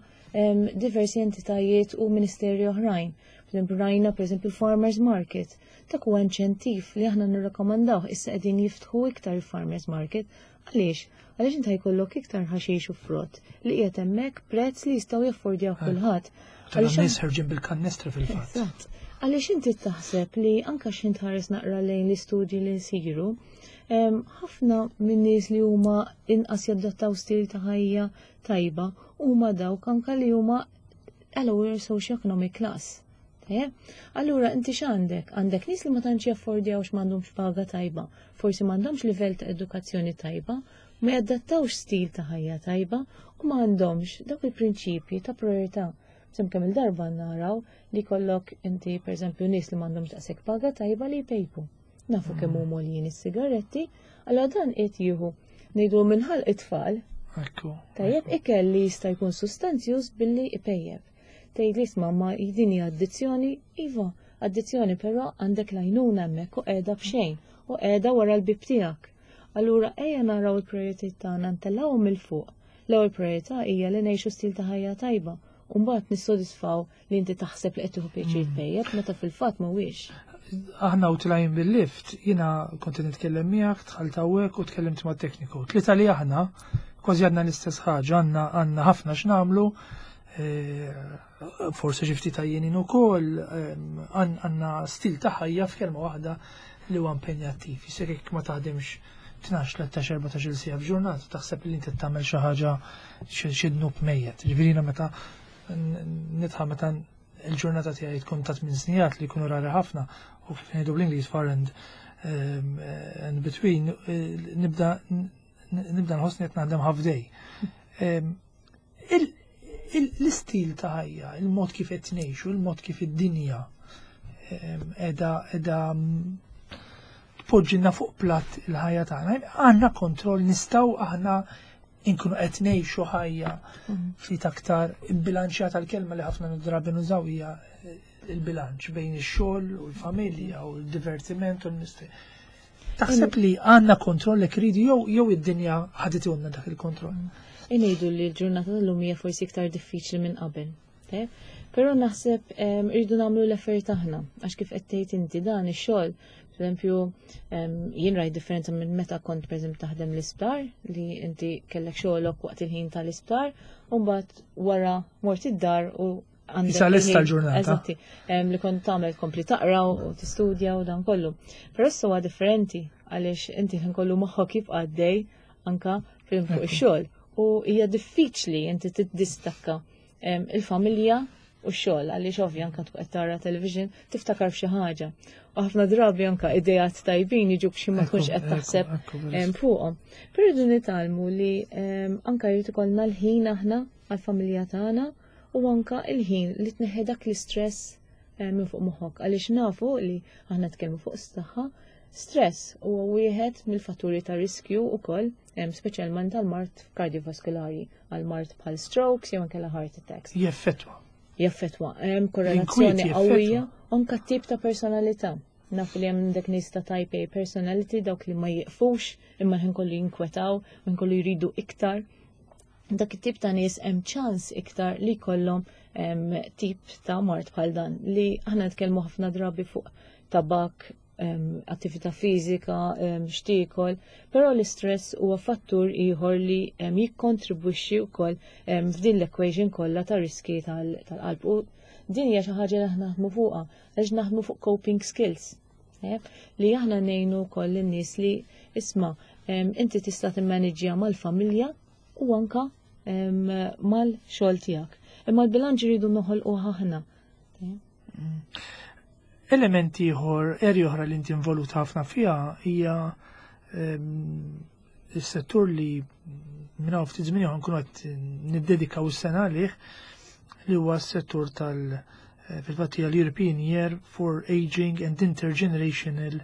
Speaker 2: diversi entitajiet u ministeri oħrajn. Rajna, per eżempju, Farmers Market. Dak huwa inċentiv li aħna nirrakkomandaw. Issa qegħdin jiftħu iktar Farmers Market. Għaliex? Għaliex inta jkollok iktar ħaxix u frott li qiegħed hemmhekk prezz li jistgħu jaffordjaw kulħadd.
Speaker 1: Għaliex nies ħerġin bil-kannestri fil-fatt.
Speaker 2: Għaliex inti taħseb li anka x'int ħares naqra lejn l-istudji li nsiru, ħafna minn nies li huma inqas jadattaw stil ta' ħajja tajba huma dawk anka li huma lower socioeconomic class. Allura inti x'għandek? Għandek nies li ma tantx jaffordjawx, m'għandhomx paga tajba, forsi m'għandhomx livell ta' edukazzjoni tajba, ma jadattawx stil ta' ħajja tajba u ma għandhomx dawk il-prinċipji ta' priorità. Sem kemm il-darba naraw li kollok inti, pereżempju, nies li m'għandhomx daqshekk paga tajba li jpejpu. Nafu kemm huma għoljin is-sigaretti, allura dan qed jieħu, ngħidu, minħal it-tfal. Tajjeb, ikel li jista' jkun sustanzjuż billi ipejjeb. Tgħid li isma', ma din hija addizzjoni, iva, addizzjoni, però għandek l-għajnuna hemmhekk u qiegħda b'xejn u qiegħda wara l-bib tiegħek. Allura ejja naraw il-prijoritajiet tagħna, ntellgħuhom il fuq. L-ewwel priorità hija li ngħixu stil ta' ħajja tajba. U mbagħad nissodisfaw li inti taħseb li qed tieħu pjaċir tpejjeb meta fil-fatt mhuwiex.
Speaker 1: Aħna u tlajn bil-lift, jiena kont nitkellem miegħek, dħalt hawnhekk u tkellimt ma' tekniku. Tlieta li aħna kważi għandna l-istess ħaġa, għandna għandna ħafna x'nagħmlu, eh, forsi xi ftit għajjenin ukoll, għandna stil ta' ħajja, f'kelma waħda, li huwa impenjattiv. Jisek jekk ma taħdimx tnax, tlettax, erbatax-il siegħa f'ġurnata, taħseb li inti tagħmel xi ħaġa, xi dnub mejjet. Ġifieri meta nitħa meta il-ġurnata tiegħi tkun ta' tmien sigħat, li jkunu rari ħafna, u kif ngħidu bl-Ingliż far and um, and between, eh, nibda nibda nħossni qed naħdem half day. Um, L-istil ta' ħajja, il-mod kif qed ngħixu, il-mod kif id-dinja qiegħda qiegħda tpoġġilna fuq platt il-ħajja tagħna. Għandna kontroll, nistgħu aħna inkunu qed ngħixu ħajja ftit aktar bilanċjata? L-kelma li ħafna drabi nużaw hija il-bilanċ bejn ix-xogħol u l-familja u l-divertiment u l-mistrieħ. Taħseb li għandna kontroll li kridu jew jew id-dinja ħaditilna dak il-kontroll?
Speaker 2: Inejdu li l-ġurnata tal-lum hija forsi iktar diffiċli minn qabel. Però naħseb irridu nagħmlu l-effort aħna, għax kif qed tgħid inti dan ix-xogħol, pereżempju, jien rajt differenza minn meta kont, pereżempju, taħdem l-isptar, li inti kellek xogħolok waqt il-ħin tal-isptar u mbagħad wara mort id-dar u
Speaker 1: għandek. Issa lesta l-ġurnata.
Speaker 2: Eżatti, li kont tagħmel kompli taqra u tistudja u dan kollu. Però issa huwa differenti għaliex inti ħin kollu moħħok jibqa' għaddej anka fuq ix-xogħol u hija diffiċli inti tiddistakka il-familja u x-xogħol, għaliex ovvja anka tkun qed tara television tiftakar f'xi ħaġa. U ħafna drabi anka idejat tajbin jiġu b'xi ma tkunx qed taħseb fuqhom. Però rridu nitgħallmu li anka jrid ikollna l-ħin aħna għall-familja tagħna u anka il-ħin li tneħħi dak l-istress minn fuq moħħok, għaliex nafu li aħna tkellmu fuq s-saħħa, stress huwa wieħed mill-fatturi ta' riskju wkoll, speċjalment għal mard kardiovaskulari, għal mard bħal strokes jew anke heart attacks.
Speaker 1: Jeffettwa.
Speaker 2: Jaffettwa. Hemm korrelazzjoni qawwija, anke tip ta' personalità. Nafu li hemm dak nies ta' type A personality, dawk li ma jiqfux imma ħin kollu jinkwetaw, ħin kollu jridu iktar. Dak it-tip ta' nies hemm ċans iktar li jkollhom tip ta' mard bħal dan li aħna nitkellmu ħafna drabi fuq tabak, attività fiżika, x'tiekol, però l-istress huwa fattur ieħor li jikkontribwixxi wkoll f'din l-equation kollha ta' riski tal-qalb. U din hija xi ħaġa li aħna naħdmu fuqha, għax naħdmu fuq coping skills. Li aħna ngħinu wkoll lin-nies li, isma', inti tista' timmaniġġja mal-familja u anka mal-xogħol tiegħek. Imma l-bilanċ iridu noħolqu aħna.
Speaker 1: Elementi ieħor, area oħra li inti involuta ħafna fiha hija is-settur li minn hawn ftit żmien nkunu qed niddedikaw is-sena għalih, li huwa s-settur tal- fil-fatt hija l-European Year for Aging and Intergenerational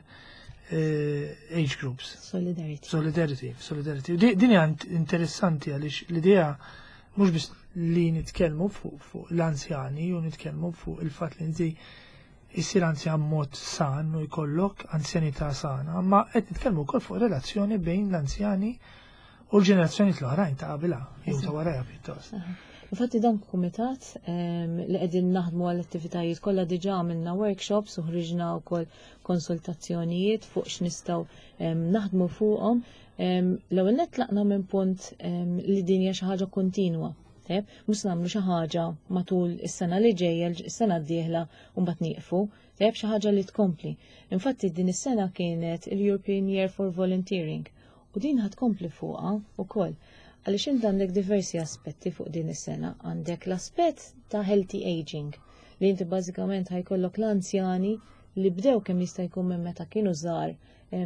Speaker 1: eh, Age Groups.
Speaker 2: Solidarity.
Speaker 1: Solidarity, solidarity. Din hija interessanti għaliex l-idea mhux biss li nitkellmu fuq l-anzjani u nitkellmu fuq il-fatt li inti issir anzjan mod san u jkollok anzjanità sana, ma qed nitkellmu wkoll fuq relazzjoni bejn l-anzjani u l-ġenerazzjoni l-oħrajn ta' qabilha jew ta' warajha pjuttost.
Speaker 2: Infatti dan kumitat li qegħdin naħdmu għall attivitajiet kollha, diġà għamilna workshops u ħriġna wkoll konsultazzjonijiet fuq x'nistgħu naħdmu fuqhom. L-ewwel nett tlaqna minn punt li din hija xi ħaġa kontinwa. Mhux nagħmlu xi ħaġa matul is-sena li ġejja, is-sena d-dieħla u mbagħad nieqfu, tajjeb, xi ħaġa li tkompli. Infatti din is-sena kienet il-European Year for Volunteering u din ħa tkompli fuqha wkoll. Għaliex inti għandek diversi aspetti fuq din is-sena. Għandek l-aspett ta' healthy aging, li inti bażikament ħa jkollok l-anzjani li bdew kemm jista' jkun minn meta kienu żgħar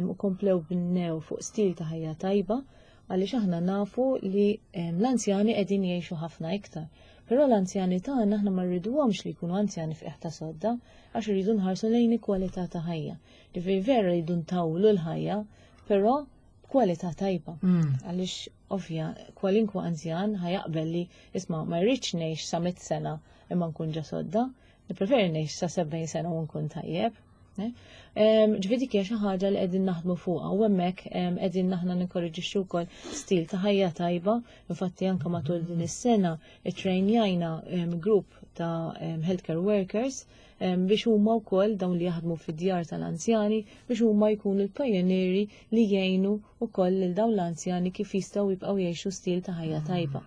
Speaker 2: u komplew bnew fuq stil ta' ħajja tajba, għaliex aħna nafu li l-anzjani qegħdin jgħixu ħafna iktar. Però l-anzjani tagħna aħna ma rriduhomx li jkunu anzjani f'qiegħ ta' sodda, għax irridu nħarsu lejn il-kwalità ta' ħajja. Ġifieri vera rridu ntawlu l-ħajja, però kwalità tajba.
Speaker 1: Mm.
Speaker 2: Għaliex ovvja, kwalinkwa anzjan ħa jaqbel li, isma', ma rridx ngħix sa mitt sena imma nkun ġo sodda, nippreferi ngħix sa sebgħin sena u nkun tajjeb. Eh? Ġifieri dik hija xi ħaġa li qegħdin naħdmu fuqha u hemmhekk qegħdin aħna ninkoraġixxu wkoll stil ta' ħajja tajba. Infatti anke matul din is-sena ittrejnjajna grupp ta' healthcare workers biex huma wkoll dawn li jaħdmu fid-djar tal-anzjani, biex huma jkunu l-pajonieri li jgħinu wkoll lil dawn l-anzjani kif jistgħu jibqgħu jgħixu stil ta' ħajja tajba.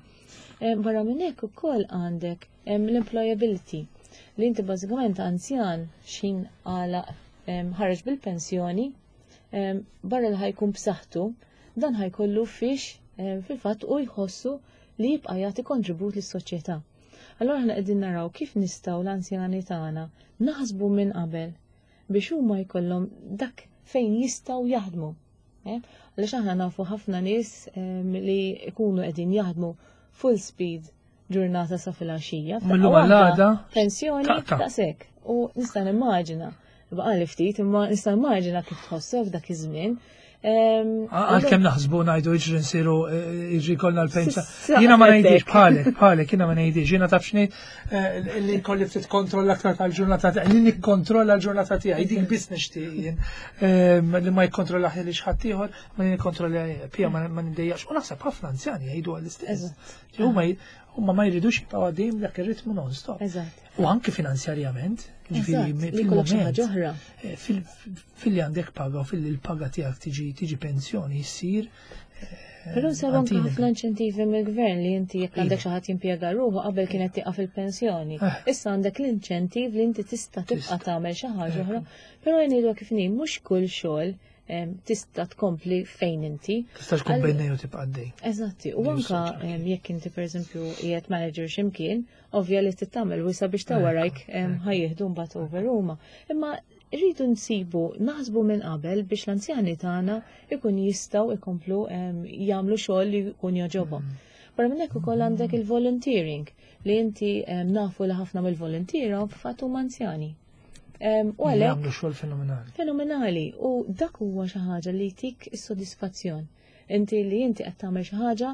Speaker 2: Barra minn hekk ukoll għandek l-employability, li inti bażikament anzjan xin għala ħareġ bil-pensjoni, barra li ħa jkun b'saħħtu, dan ħa jkollu fiex fil-fatt u jħossu li jibqa' jagħti kontribut lis-soċjetà. Allora aħna qegħdin naraw kif nistgħu l-anzjani tagħna naħsbu minn qabel biex huma jkollhom dak fejn jistgħu jaħdmu. Eh? Għaliex aħna nafu ħafna nies li jkunu qegħdin jaħdmu full speed ġurnata sa filgħaxija.
Speaker 1: Mill-lum għal-għada.
Speaker 2: Pensjoni daqshekk. U nista' nimmaġina, baqali ftit, imma nista' nimmaġina kif tħossok f'dak iż-żmien.
Speaker 1: Għalkemm naħsbu ngħidu iġri nsiru, iġri kollna l-pensa. Jiena ma ngħidix bħalek, bħalek, jiena ma ngħidix, jiena taf x'ngħid, eh, li kolli ftit kontroll aktar tal-ġurnata tiegħi, li nikkontrolla l-ġurnata tiegħi, dik biss nixtieq jien. Li ma jikkontrolla li xi ieħor, ma nikkontrolla pija ma niddejjax. U naħseb ħafna anzjani jgħidu għall-istess. Huma huma ma jridux jibqgħu għaddejjin dak ir-ritmu non-stop. U anke finanzjarjament, ġifieri fil-moment, eh, fil-li għandek paga u fil-li l-paga tiegħek tiġi tiġi pensjoni jsir.
Speaker 2: Eh, Però saru anke ħafna inċentivi mill-gvern li inti jekk għandek xi ħadd jimpjega ruħu, qabel kienet tieqaf il-pensjoni. Eh. Issa għandek l-inċentiv li inti tista' tibqa' tagħmel xi ħaġa oħra. Però ngħidu kif mhux kull xogħol tista' tkompli fejn inti.
Speaker 1: Tista' tkun bejn u tibqa' għaddej.
Speaker 2: Eżatti, u anka jekk inti pereżempju qiegħed manager x'imkien, ovvja li tittamel wisa biex ta' warajk ħa jieħdu mbagħad over huma. Imma rridu nsibu, naħsbu minn qabel biex l-anzjani tagħna ikun jistgħu ikomplu jagħmlu xogħol li jkun jogħġobhom. Mm. Barra minn hekk ukoll għandek il-volunteering, li inti nafu li ħafna mill-voluntiera f'fatt huma anzjani.
Speaker 1: U għalhekk jagħmlu xogħol fenomenali.
Speaker 2: Fenomenali, u dak huwa xi ħaġa li jtik is-sodisfazzjon. Inti li inti qed tagħmel xi ħaġa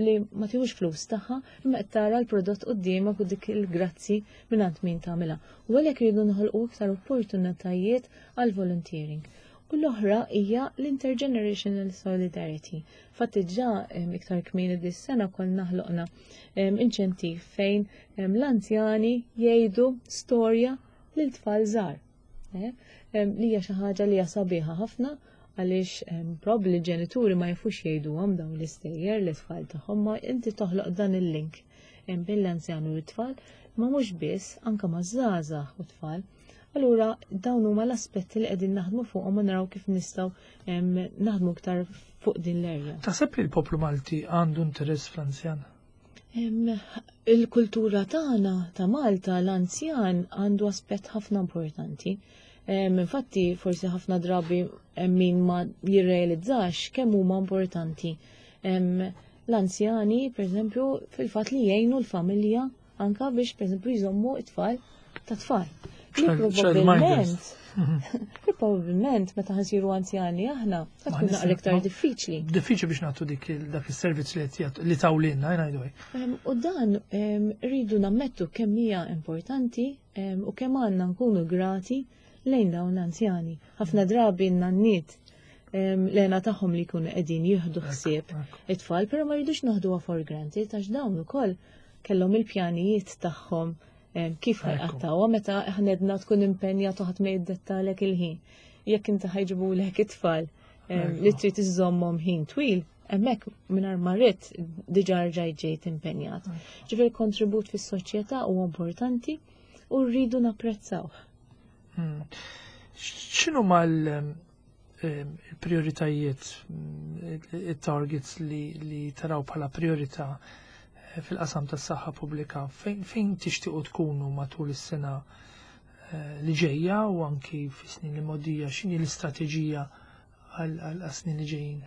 Speaker 2: li ma tieħux flus tagħha, imma qed tara l-prodott quddiemek u dik il-grazzi minn għand min tagħmilha. U għalhekk iridu noħolqu iktar opportunitajiet għal volunteering. U l-oħra hija l-intergenerational solidarity. Fatti ġa iktar kmieni dis-sena konna ħloqna inċentiv fejn l-anzjani jgħidu storja lil tfal żgħar. Eh? Li hija xi ħaġa li hija sabiħa ħafna, għaliex probabbli l-ġenituri ma jafux jgħiduhom dawn l-istejjer l-tfal tagħhom, ma inti toħloq dan il-link bejn l-anzjan u t-tfal, ma mhux biss, anke ma' żgħażagħ u tfal. Allura dawn huma l-aspetti li qegħdin naħdmu fuqhom u naraw kif nistgħu naħdmu iktar fuq din l-erja.
Speaker 1: Taħseb li l-poplu Malti għandu interess fl-anzjan?
Speaker 2: Il-kultura tagħna ta' Malta, l-anzjan għandu aspett ħafna importanti. Infatti forsi ħafna drabi min ma jirrealizzax kemm huma importanti l-anzjani, per eżempju, fil-fatt li jgħinu l-familja anka biex, per eżempju, jżommu it-tfal ta' tfal. Li probabbilment, li probabbilment meta ħa nsiru anzjani aħna, tkun naqra iktar diffiċli.
Speaker 1: Diffiċli biex nagħtu dik dak is-servizz li li tawlilna, ngħidu.
Speaker 2: U dan rridu nammettu kemm hija importanti u kemm għandna nkunu grati lejn dawn l-anzjani. Ħafna drabi n-nanniet l-għena tagħhom li jkunu qegħdin jieħdu ħsieb it-tfal, però ma rridux naħduha for granted, għax dawn ukoll kellhom il-pjanijiet tagħhom kif ħa jqattgħuha meta ħnedna tkun impenjat u ħadd ma jiddettalek il-ħin. Jekk inti ħa jġibulek it-tfal li trid iżżommhom ħin twil, hemmhekk mingħajr ma rrid diġà rġajt ġejt impenjat. Ġifieri kontribut fis-soċjetà huwa importanti u rridu napprezzawh.
Speaker 1: Hmm. X'inhu mal il-prioritajiet, il-targets li, li taraw bħala priorità eh, fil-qasam tas saħħa pubblika, fejn, fejn tixtiequ tkunu matul is-sena eh, li ġejja u anki fis-snin li mogħdija, x'inhi l-istrateġija għal snin li ġejjin?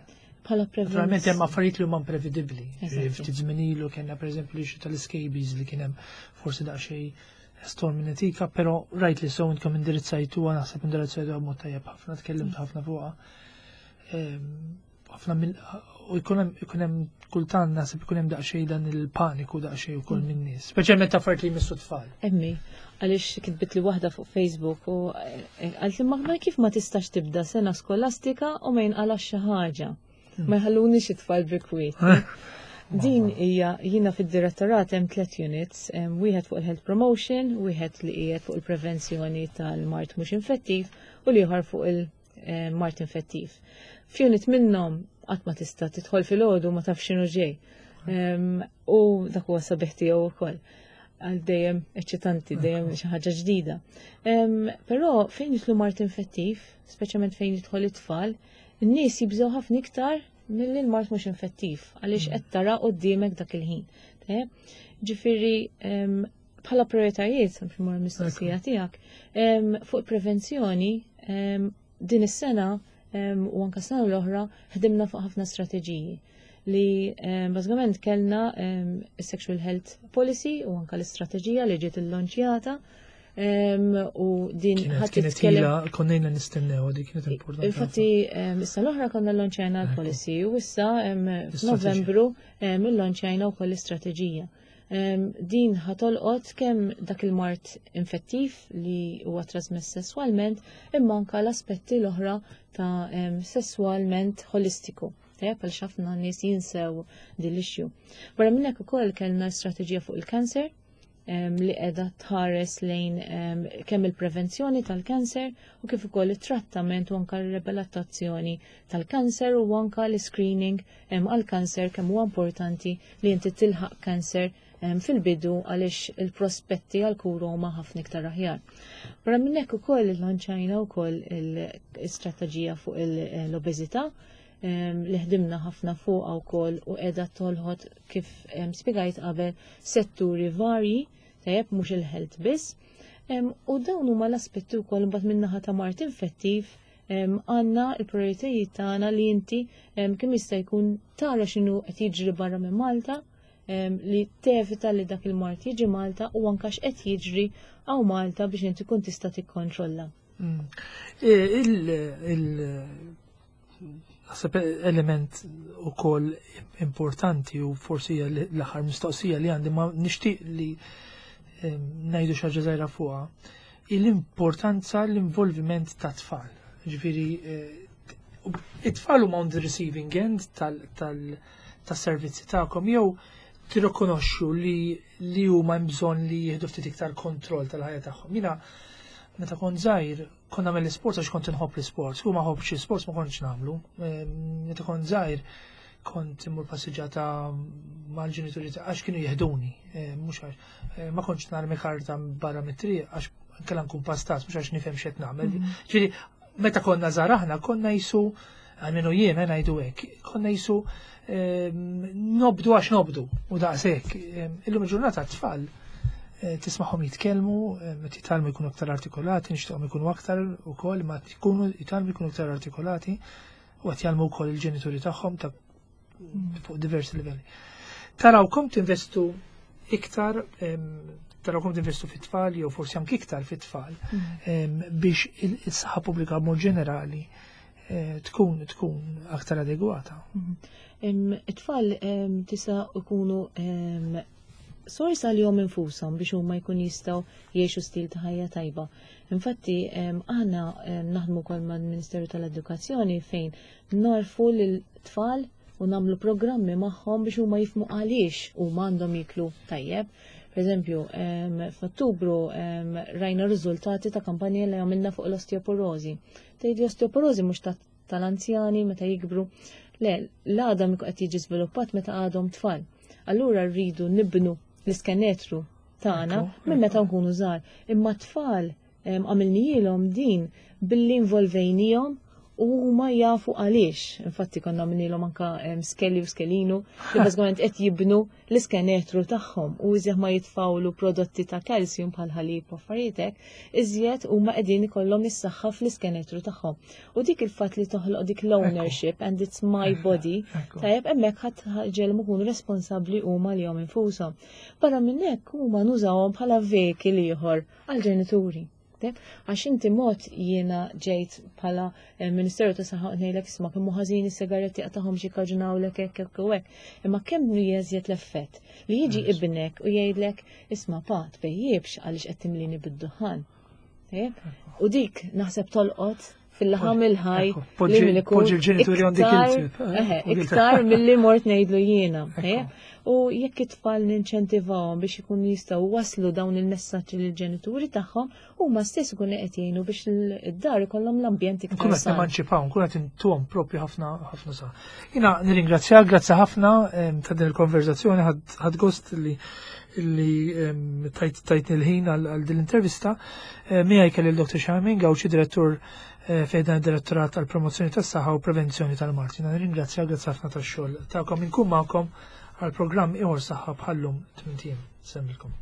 Speaker 2: Bħala
Speaker 1: Naturalment hemm affarijiet li huma imprevedibbli.
Speaker 2: Eżatti.
Speaker 1: Ftit żmien ilu kellna, pereżempju, l tal-scabies li kien hemm forsi daqsxejn storm netika, però rajt li so intkom indirizzajtuha, naħseb indirizzajtuha b'mod tajjeb ħafna, tkellimt ħafna fuqha. Ehm, ħafna mill u jkun hemm ikun hemm kultant naħseb ikun hemm daqsxejn dan il-paniku daqsxejn ukoll min nies, speċjalment affarijiet li jmissu tfal.
Speaker 2: Emmi, għaliex kitbit li waħda fuq Facebook u eh, għalt li ma kif ma tistax tibda sena skolastika u ma jinqalax xi ħaġa? Ma jħalluni xi tfal bi kwiet. Din hija, jiena fid-direttorat hemm tliet units, hemm wieħed fuq il-health promotion, wieħed li qiegħed fuq il-prevenzjoni tal-mard mhux infettiv u l-ieħor fuq il-mard infettiv. F'unit minnhom qatt ma tista' tidħol fil-għodu ma tafx x'inhu ġej. Em, U dak huwa sabiħ tiegħu wkoll. Għal dejjem eċċitanti, dejjem xi ħaġa ġdida. Em, Però fejn jidħlu mard infettiv, speċjalment fejn jidħol it-tfal, in-nies jibżgħu ħafna iktar milli l-mard mhux infettiv, għaliex qed tara quddiemek dak il-ħin. Tajjeb? Ġifieri em, bħala prioritajiet, biex mor mistoqsija tiegħek, em, fuq prevenzjoni, em, din is-sena em, u anka sena l-oħra ħdimna fuq ħafna strateġiji li em, bażikament kellna em, sexual health policy u anka l-istrateġija li ġiet illonċjata em, u din
Speaker 1: Kienet
Speaker 2: ħadd
Speaker 1: kienet
Speaker 2: titkellem
Speaker 1: ila konna ilna nistennew, di kienet importanti.
Speaker 2: Infatti, em, issa l-oħra konna llonċjajna l-policy u issa em,
Speaker 1: L-istrateġija.
Speaker 2: f'Novembru em, illonċjajna wkoll l-istrateġija. Em, Din ħa tolqot kemm dak il-mard infettiv li huwa trasmess sesswalment, imma anka l-aspetti l-oħra ta' em, sesswalment holistiku. Tajjeb, għal ħafna nies jinsew din l-issue. Barra minn hekk ukoll kellna strateġija fuq il-kanser em, li qiegħda tħares lejn em, kemm il-prevenzjoni tal-kanser u kif ukoll it-trattament u anka r-riabilitazzjoni tal-kanser u anka l-screening em, għal-kanser, kemm huwa importanti li inti tilħaq kanser em, fil-bidu, għaliex il-prospetti għal-kura huma ħafna iktar aħjar. Barra minn hekk ukoll illonċajna wkoll il-istrateġija fuq l-obeżità em, li ħdimna ħafna fuqha wkoll u qiegħda tolqot, kif em, spjegajt qabel, setturi varji, tajjeb, mhux il-health biss. Em, U dawn huma l-aspetti wkoll. Imbagħad min-naħa ta' mard infettiv em, għandna l-prioritajiet tagħna li inti em, kemm jista' jkun tara x'inhu qed jiġri barra minn Malta, em, li tevita li dak il-mard jiġi Malta, u anka x'qed jiġri hawn Malta biex inti kun tista' tikkontrolla.
Speaker 1: Mm. E, Il, il, naħseb element ukoll importanti, u forsi hija l-aħħar mistoqsija li għandi, ma nixtieq li em, ngħidu xi ħaġa żgħira fuqha, l-importanza, l-involviment ta' tfal. Ġifieri eh, it-tfal huma on the receiving end tal-servizzi tagħkom jew tirrikonoxxu li li huma hemm bżonn li jieħdu ftit iktar kontroll tal-ħajja tagħhom. Jiena meta kont żgħir kont nagħmel l-isport għax kont inħobb l-isport. Kieku ma nħobbx l-isport ma kontx nagħmlu. Meta kont żgħir kont immur passiġġata mal-ġenituri għax kienu jeħduni, mhux għax ma kontx narmi karta barra mit-triq għax kellha nkun pastas, mhux għax nifhem x'qed nagħmel. Mhm. Ġifieri meta konna żgħar aħna konna jisu, għalmenu jien eh, ngħidu hekk, konna jisu nobdu għax nobdu u daqshekk. Illum il-ġurnata t-tfal eh, tismagħhom jitkellmu, meta jitgħallmu jkunu aktar artikolati, nixtieqhom jkunu aktar ukoll, ma jkunu jitgħallmu jkunu aktar artikolati u qed jgħallmu wkoll il-ġenituri tagħhom ta' fuq diversi livelli. Tarawkom tinvestu iktar, tarawkom tinvestu fit-tfal jew forsi anke iktar fit-tfal mm. biex il-saħħa pubblika mod ġenerali eh, tkun tkun aktar adegwata.
Speaker 2: Mm. It-tfal tista' ikunu sors għalihom infushom biex huma jkun jistgħu jgħixu stil ta' ħajja tajba. Infatti, aħna naħdmu wkoll mal-Ministeru tal-Edukazzjoni fejn ngħarrfu lil-tfal u nagħmlu programmi magħhom biex huma jifhmu għaliex huma għandhom jiklu tajjeb. Per eżempju, f'Ottubru rajna riżultati ta' kampanja li għamilna fuq l-osteoporozi. Tgħid l-osteoporozi mhux tal-anzjani meta jikbru. Le, l-għadam qed jiġi żviluppat meta għadhom tfal. Allura rridu nibnu l-iskenetru tagħna minn meta nkunu żgħar. Imma tfal għamilnielhom din billi involvejnihom u huma jafu għaliex. Infatti konna għamilnielhom anka Skelly u Skelinu li bażikament qed jibnu l-iskenetru tagħhom u iżjed ma jitfawlu prodotti ta' kalsium bħal ħalib u affarijiet hekk, iżjed huma qegħdin ikollhom is-saħħa fl-iskenetru tagħhom. U dik il-fatt li toħloq dik l-ownership and it's my body, tajjeb, hemmhekk ħadd ġelmu kunu responsabbli huma lilhom infushom. Barra minn hekk huma nużawhom bħala vehicle ieħor għall-ġenituri. Għax inti mod jiena ġejt bħala eh, Ministeru ta' Saħħa ngħidlek, "Isma', kemm ħażin is-sigaretti, qatagħhom, xi kaġunawlek hekk hekk u hekk." Imma kemm jeżjed l-effett li jiġi ibnek u jgħidlek, "Isma' pa, tpejjibx għaliex qed timlini bid-duħan." U dik naħseb tolqot fil-laħam il-ħaj
Speaker 1: li min ikun
Speaker 2: iktar milli mort ngħidlu jiena. U jekk it-tfal ninċentivawhom biex ikunu jistgħu waslu dawn il-messaġġi lill-ġenituri tagħhom, huma stess ikunu qed jgħinu biex id-dar ikollhom l-ambjent iktar.
Speaker 1: Nkunu qed nemanċipaw, nkunu qed intuhom propju ħafna ħafna sa. Jiena nirringrazzjak, grazzi ħafna ta' din il-konverzazzjoni, ħadt gost li li tajt tajt il-ħin għal din l-intervista. Miegħi kelli l-Dottor Charmaine Gauci, direttur eh, fejn direttorat għal promozzjoni tas-saħħa u prevenzjoni tal-mard. Jiena nirringrazzjak, grazzi ħafna tax-xogħol tagħkom. Inkun magħkom għal programm ieħor saħħa bħallum tmint ijiem. Insellmilkom.